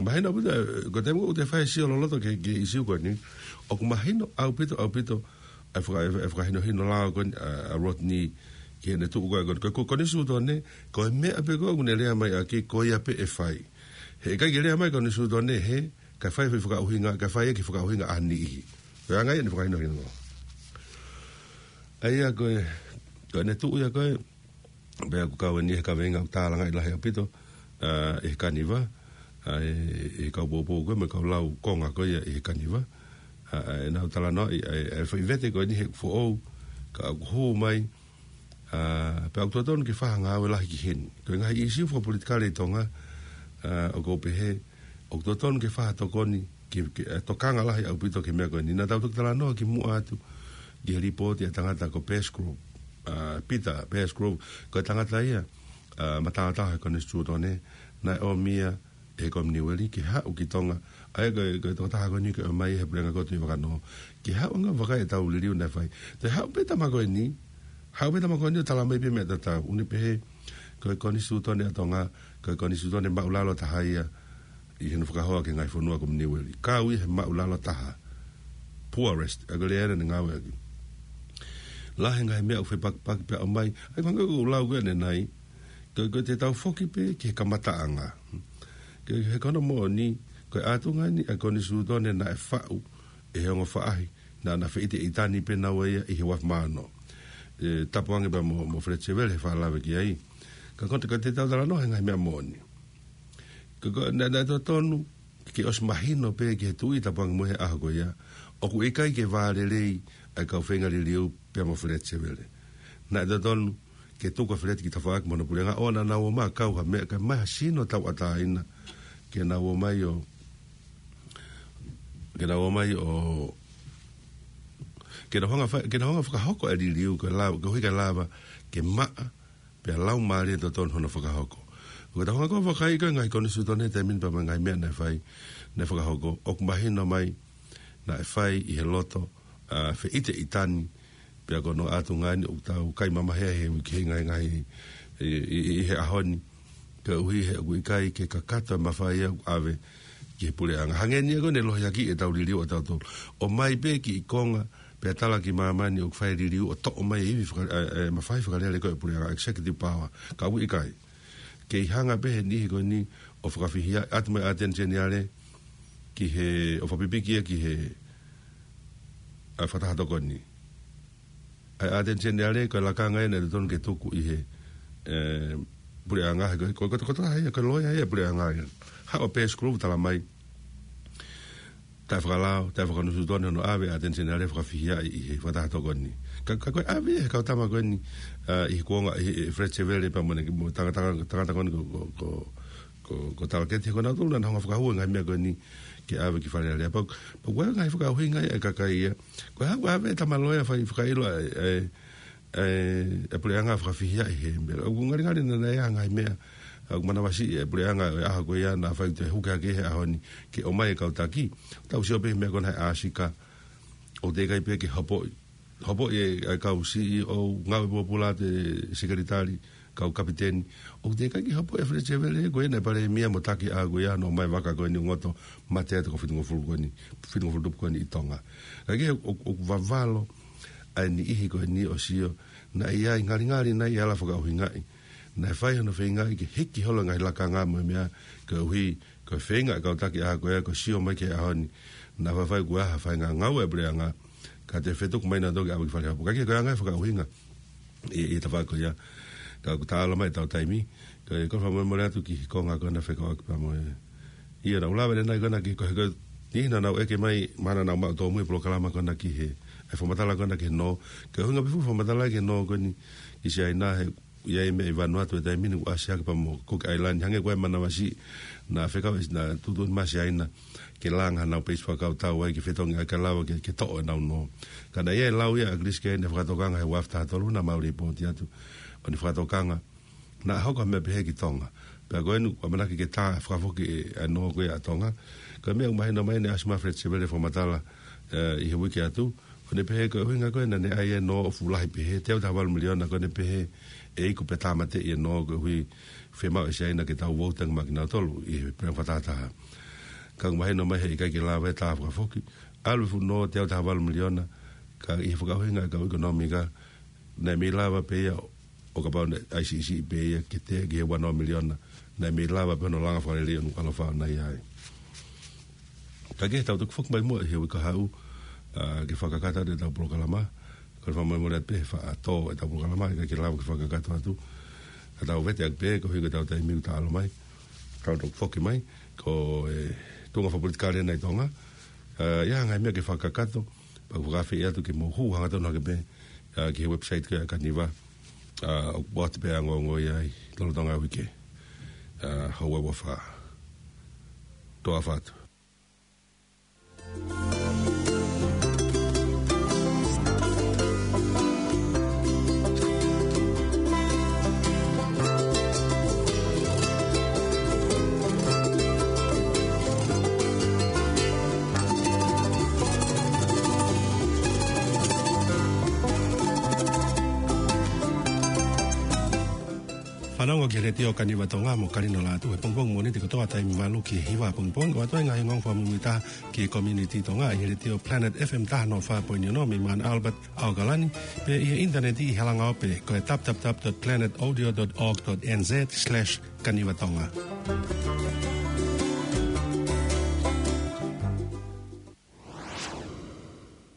Mahino ʻaupito, ē, ko e taimi ʻoku te fai e sio loloto ki he, ki he ʻīsiu ko eni, ʻoku mahino ʻaupito, ʻaupito, ʻa e faka-, ʻa e fakahinohino lao ko eni, ʻa, ʻa Rodney, ki heʻene tuʻu ko ē ko eni. Ko, ko, Konisitūtone, ko e meʻa pē ko ē ʻoku ne lea mai ʻaki, ko ia pē ʻe fai. He ʻikai ke lea mai Konisitūtone, he, kae fai e foʻi fakaʻuhinga, kae fai e kiʻi fakaʻuhinga ʻa ha niʻihi. Ko e anga ia ʻene fakahinohino. ʻA ia ko e, ko ʻene tuʻu ia ko ē, pea ʻoku kau eni he kaveinga ʻoku tālangaʻi lahi ʻaupito, ā, ʻi he Kaniva, ā, ʻi, ʻi he kau poupou ko ē, mo e kau lau konga ko ia ʻi he Kaniva, ā, ā, ʻenau talanoaʻi, ā, ā, e foʻi vete ko eni he foʻou, ka ʻoku hū mai, ā, pea ʻoku totonu ke fai ha ngāue lahi ki heni. Ko e ngaahi ʻīsiu fakapolitikale ʻi Tonga, ā, ʻoku ou pehē, ʻoku totonu ke fai ha tokoni, ke, ke, ē, tokanga lahi ʻaupito ki he meʻa ko eni. Naʻa tau toki talanoa kimuʻa atu, ki he lipooti ʻa e tangata ko Pascoe, ā, Peter Pascoe, ko e tangata ia, ā, mataotao he Konisitūtone, naʻe ʻomi ia ʻe he Kominiueli ke haʻu ki Tonga, ʻa ia ko e, ko e tokotaha ko eni ke ʻomai he puleʻanga ko ē Tuʻi Vakanō, ke haʻu ʻo ngāueʻaki ʻetau liliu naʻe fai. Toe haʻu pē tama ko eni, haʻu pē tama ko eni ʻo tala mai pē meʻa tatau, ʻo ne pehē, ko e Konisitūtone ʻa Tonga, ko e Konisitūtone maʻulalo taha ia, ʻi hono fakahoa ki he ngaahi fonua Kominiueli. Kau ia he maʻulalo taha. Poorest, ʻa ia ko e lea ia naʻa ne ngāueʻaki. Lahi e ngaahi meʻa ʻoku fepakipaki pea ʻomai, ʻa ia ko e anga ʻoku lau ko ē ʻanenai, ko, ko ʻetau foki pē ki he kamataʻanga. Ko e, he ko hono moʻoni, ko e ʻātunga eni ʻa e Konisitūtone naʻe faʻu ʻe he ongo faʻahi, naʻa na feʻiteʻitani pē naua ia ʻi he uafu mā ono. Ē, tapu ange pea mo, mo Fletcher Vele he fakalave ki ai. Ka ko e, ka te tau talanoa he ngaahi meʻa moʻoni. Ka ko, naʻe, naʻe totonu, ke ʻosi mahino pē ki he tuʻi tapu ange mo e he ʻaho ko ia, ʻoku ʻikai ke vālelei ʻa e kau feinga liliu pea mo Fletcher Vele. Naʻe totonu, ke tuku ʻa Fletcher ki tafaʻaki mo hono puleʻanga, ʻo naʻa nau ō mai ʻo kau ha meʻa, kae ʻomai ha sino tauʻatāina, ke nau ō mai ʻo, ke nau ō mai ʻo, ke nau hanga fai, ke nau hanga fakahoko e liliu, ke lava, koeʻuhi ke lava, ke maʻa, pea laumālie totonu hono fakahoko. Ko ʻetau hanga ko ē ʻo vakai ko e ngaahi Konisitūtone he taimi ni pea mo e ngaahi meʻa naʻe fai, naʻe fakahoko, ʻoku mahino mai, naʻe fai ʻi he loto, ā, feʻiteʻitani, pea ko hono ʻātunga eni ʻoku tau kai mamahi ai he uike, he ngaahi, ngaahi, ʻi, ʻi, ʻi he ʻaho ni. Koeʻuhi he ʻoku ʻikai ke kakato e mafai ia ʻoku ʻave ki he puleʻanga. Hangē ni ia ko ʻene lohiakiʻi ʻetau liliu ʻatautolu. ʻOmai pē kiʻi konga, pea tala ki māmani ʻoku fai e liliu ʻo toʻo mai e ivi faka-, ē, ē, mafai fakalele ko ē ʻa e puleʻanga, executive power. Ka ʻoku ʻikai. Kei hanga pē he niʻihi ko eni ʻo fakafihia, ʻatu mai ʻAteni Seniale, ki he, ʻo fakapipiki ia ki he, ā, fakataha tokoni. ʻA e ʻAteni Seniale, ko e lakanga ia naʻe totonu ke tuku ʻi he, ē, puleʻanga, he ko, ko, ko, ko, ko, ko e loea ia ʻa e puleʻanga ia. Haʻu ʻa Pascoe ʻo tala mai, taʻefakalao, taʻefakakonisitūtone hono ʻave ʻa e ʻAteni Seniale fakafihiaʻi ʻi he fakataha tokoni. Ka, ka ko e ʻave he kau tama ko eni, ā, ʻi he kuonga, ʻi he, ʻi he Fletcher Vele pea mo ʻene, mo e tangata, tangata ko eni ko, ko, ko, ko, ko Talaketi, ko nautolu naʻa nau hanga ʻo fakahū e ngaahi meʻa ko eni ke ʻave ki Fale Alea. Pea, pea ko e ngaahi fakaʻuhinga ia ʻa e kakai ia. Ko e hā, ko e ʻave e tama loea fai fakaʻilo ʻa e, ʻa e, ʻa e, ʻa e puleʻanga fakafihiaʻi he meʻa. ʻOku ngalingali naʻa, naʻe ʻi ai ha ngaahi meʻa ʻoku manavasiʻi e puleʻanga ʻo e ʻaho ko ia naʻa faʻa toe huki hake he ʻaho ni ke ʻomai e kau taki. Tau sio pē he meʻa ko ena he ʻāsika. ʻOku teʻeki ai pē ke hopoʻi. Hopoʻi e, e kau C E O, ngāue pōpula ʻa e sekelitali, kau kapiteni. ʻOku teʻeki ai ke hopoʻi ʻe Fletcher Vele, ko ena e palēmia mo e taki ʻa ko ia naʻe ʻomai vaka ko eni ʻo ngoto mate atu ko e fitungofulu ko eni, fitungofulu tupu ko eni ʻi Tonga. Ka ke ʻo, ʻo, ʻoku vavalo ʻa e niʻihi ko eni ʻo sio, naʻe ʻi ai ngalingali naʻe ʻi ai e ala fakaʻuhingaʻi. Naʻe fai hono feingaʻi ke hiki holo e ngaahi lakanga mo e meʻa koeʻuhi ko e feinga e kau taki ʻa ko ia ko e sio mai ki he ʻaho ni. Naʻa faifai ko e hā e faʻahinga ngāue ʻa e puleʻanga. Ka te fetuku mai nautolu ke ʻave ki Fale Hopo. Ka ke ko e anga e fakaʻuhinga ʻi, ʻi he tafaʻaki ko ia. Ka ʻoku taʻalo mai ʻetau taimi. Ka ko e fakamolemole atu ki he konga ko ena fekauʻaki pea mo e. ʻIa naʻa ku lave ʻanenai ko ena ki he ko e, ko e niʻihi naʻa nau ʻeke mai, mahalo naʻa nau maʻu tōmui e polokalama ko ena ki he, e fakamatala ko ena ki he nō. Ko e ʻuhinga pē fuʻu fakamatala ki he nō ko eni ki Siaina he ʻI ai e meʻa ʻi Vanuatu he taimi ni ʻoku ʻasi hake pea mo Cook Island, hangē ko e manavasiʻi naʻe fekau ʻe, naʻe tuʻutuʻuni mai ʻe Siaina ke langa hanau peisi fakakautau ai ke fetongi ai ka lava ke, ke toʻo ʻenau nō. Ka naʻe ʻi ai e lau ia ʻa Chris Kane ʻe fakatokanga he ua afe taha tolu naʻa mau lipooti atu. ʻO ne fakatokanga naʻe hoko ha meʻa pehē ki Tonga. Pea ko eni ʻoku ʻamanaki ke tā fakafoki e, ʻa e nō ko ia ʻa Tonga. Ko e meʻa ʻoku mahino mai naʻe ʻasi mai Fred Sevele fakamatala, ē, ʻi he uike atu. ʻO ne pehē ko e ʻuhinga ko ē naʻa ne ʻai e nō ʻo fuʻu lahi pehē, teau taha valu miliona, ko ʻene pehē ʻe iku pē tāmateʻi e nō koeʻuhi fiemaʻu ʻe Siaina ke tau vouti ange maʻa kinautolu ʻi he puleʻanga fakatahataha. Ka ʻoku mahino mai he ʻikai ke lava e tā fakafoki. ʻAlu e fuʻu nō teau taha valu miliona, ka ʻi he fakaʻuhinga ʻa e kau ʻekonōmika, naʻe mei lava pē ia ʻo kapau naʻe ʻai siʻisiʻi pē ia ke teʻeki ke ua noa miliona, naʻe mei lava pē hono langa fakalelei ʻo Nukuʻalofa ʻo nai ai. Ka ke tau toki foki mai muʻa ʻi he uike kahaʻu, ā, ke fakakakato atu ʻetau polokalama. Kole fakamolemole atu pē he faʻa tō ʻetau polokalama, ʻikai ke lava ke fakakakato atu. Ka tau vete atu pē, koeʻuhi ko ʻetau taimi ʻoku taʻalo mai. Tau toki foki mai, ko e tuʻunga fakapolitikale ʻa Tonga. Ā, ʻi ai ha ngaahi meʻa ke fakakakato, pea ʻoku ou fakaafeʻi atu ke mou hū hangatonu hake pē, ā, ki he website ko ia ʻa Kaniva. Ā, ʻoku ʻoatu pē ʻa e ongoongo ia ʻi lolotonga e uike. Ā, houa ua fā. Toa fatu. Fanongo ki he Letiō Kaniva Tonga mo Kalino Lātū he pongipongi Mōnite kotoa taimi valu ki he hiva pongipongi, ʻo ʻoatu ai e ngaahi ongoongo fakamuimuitaha ki he community Tonga ʻi he Letiō Planet F M taha noa fā poini ono mei Mount Albert, ʻAokalani, pea ʻi he ʻinitaneti ʻi he langa ope ko e w w w dot planet audio dot org dot n z slash Kaniva Tonga.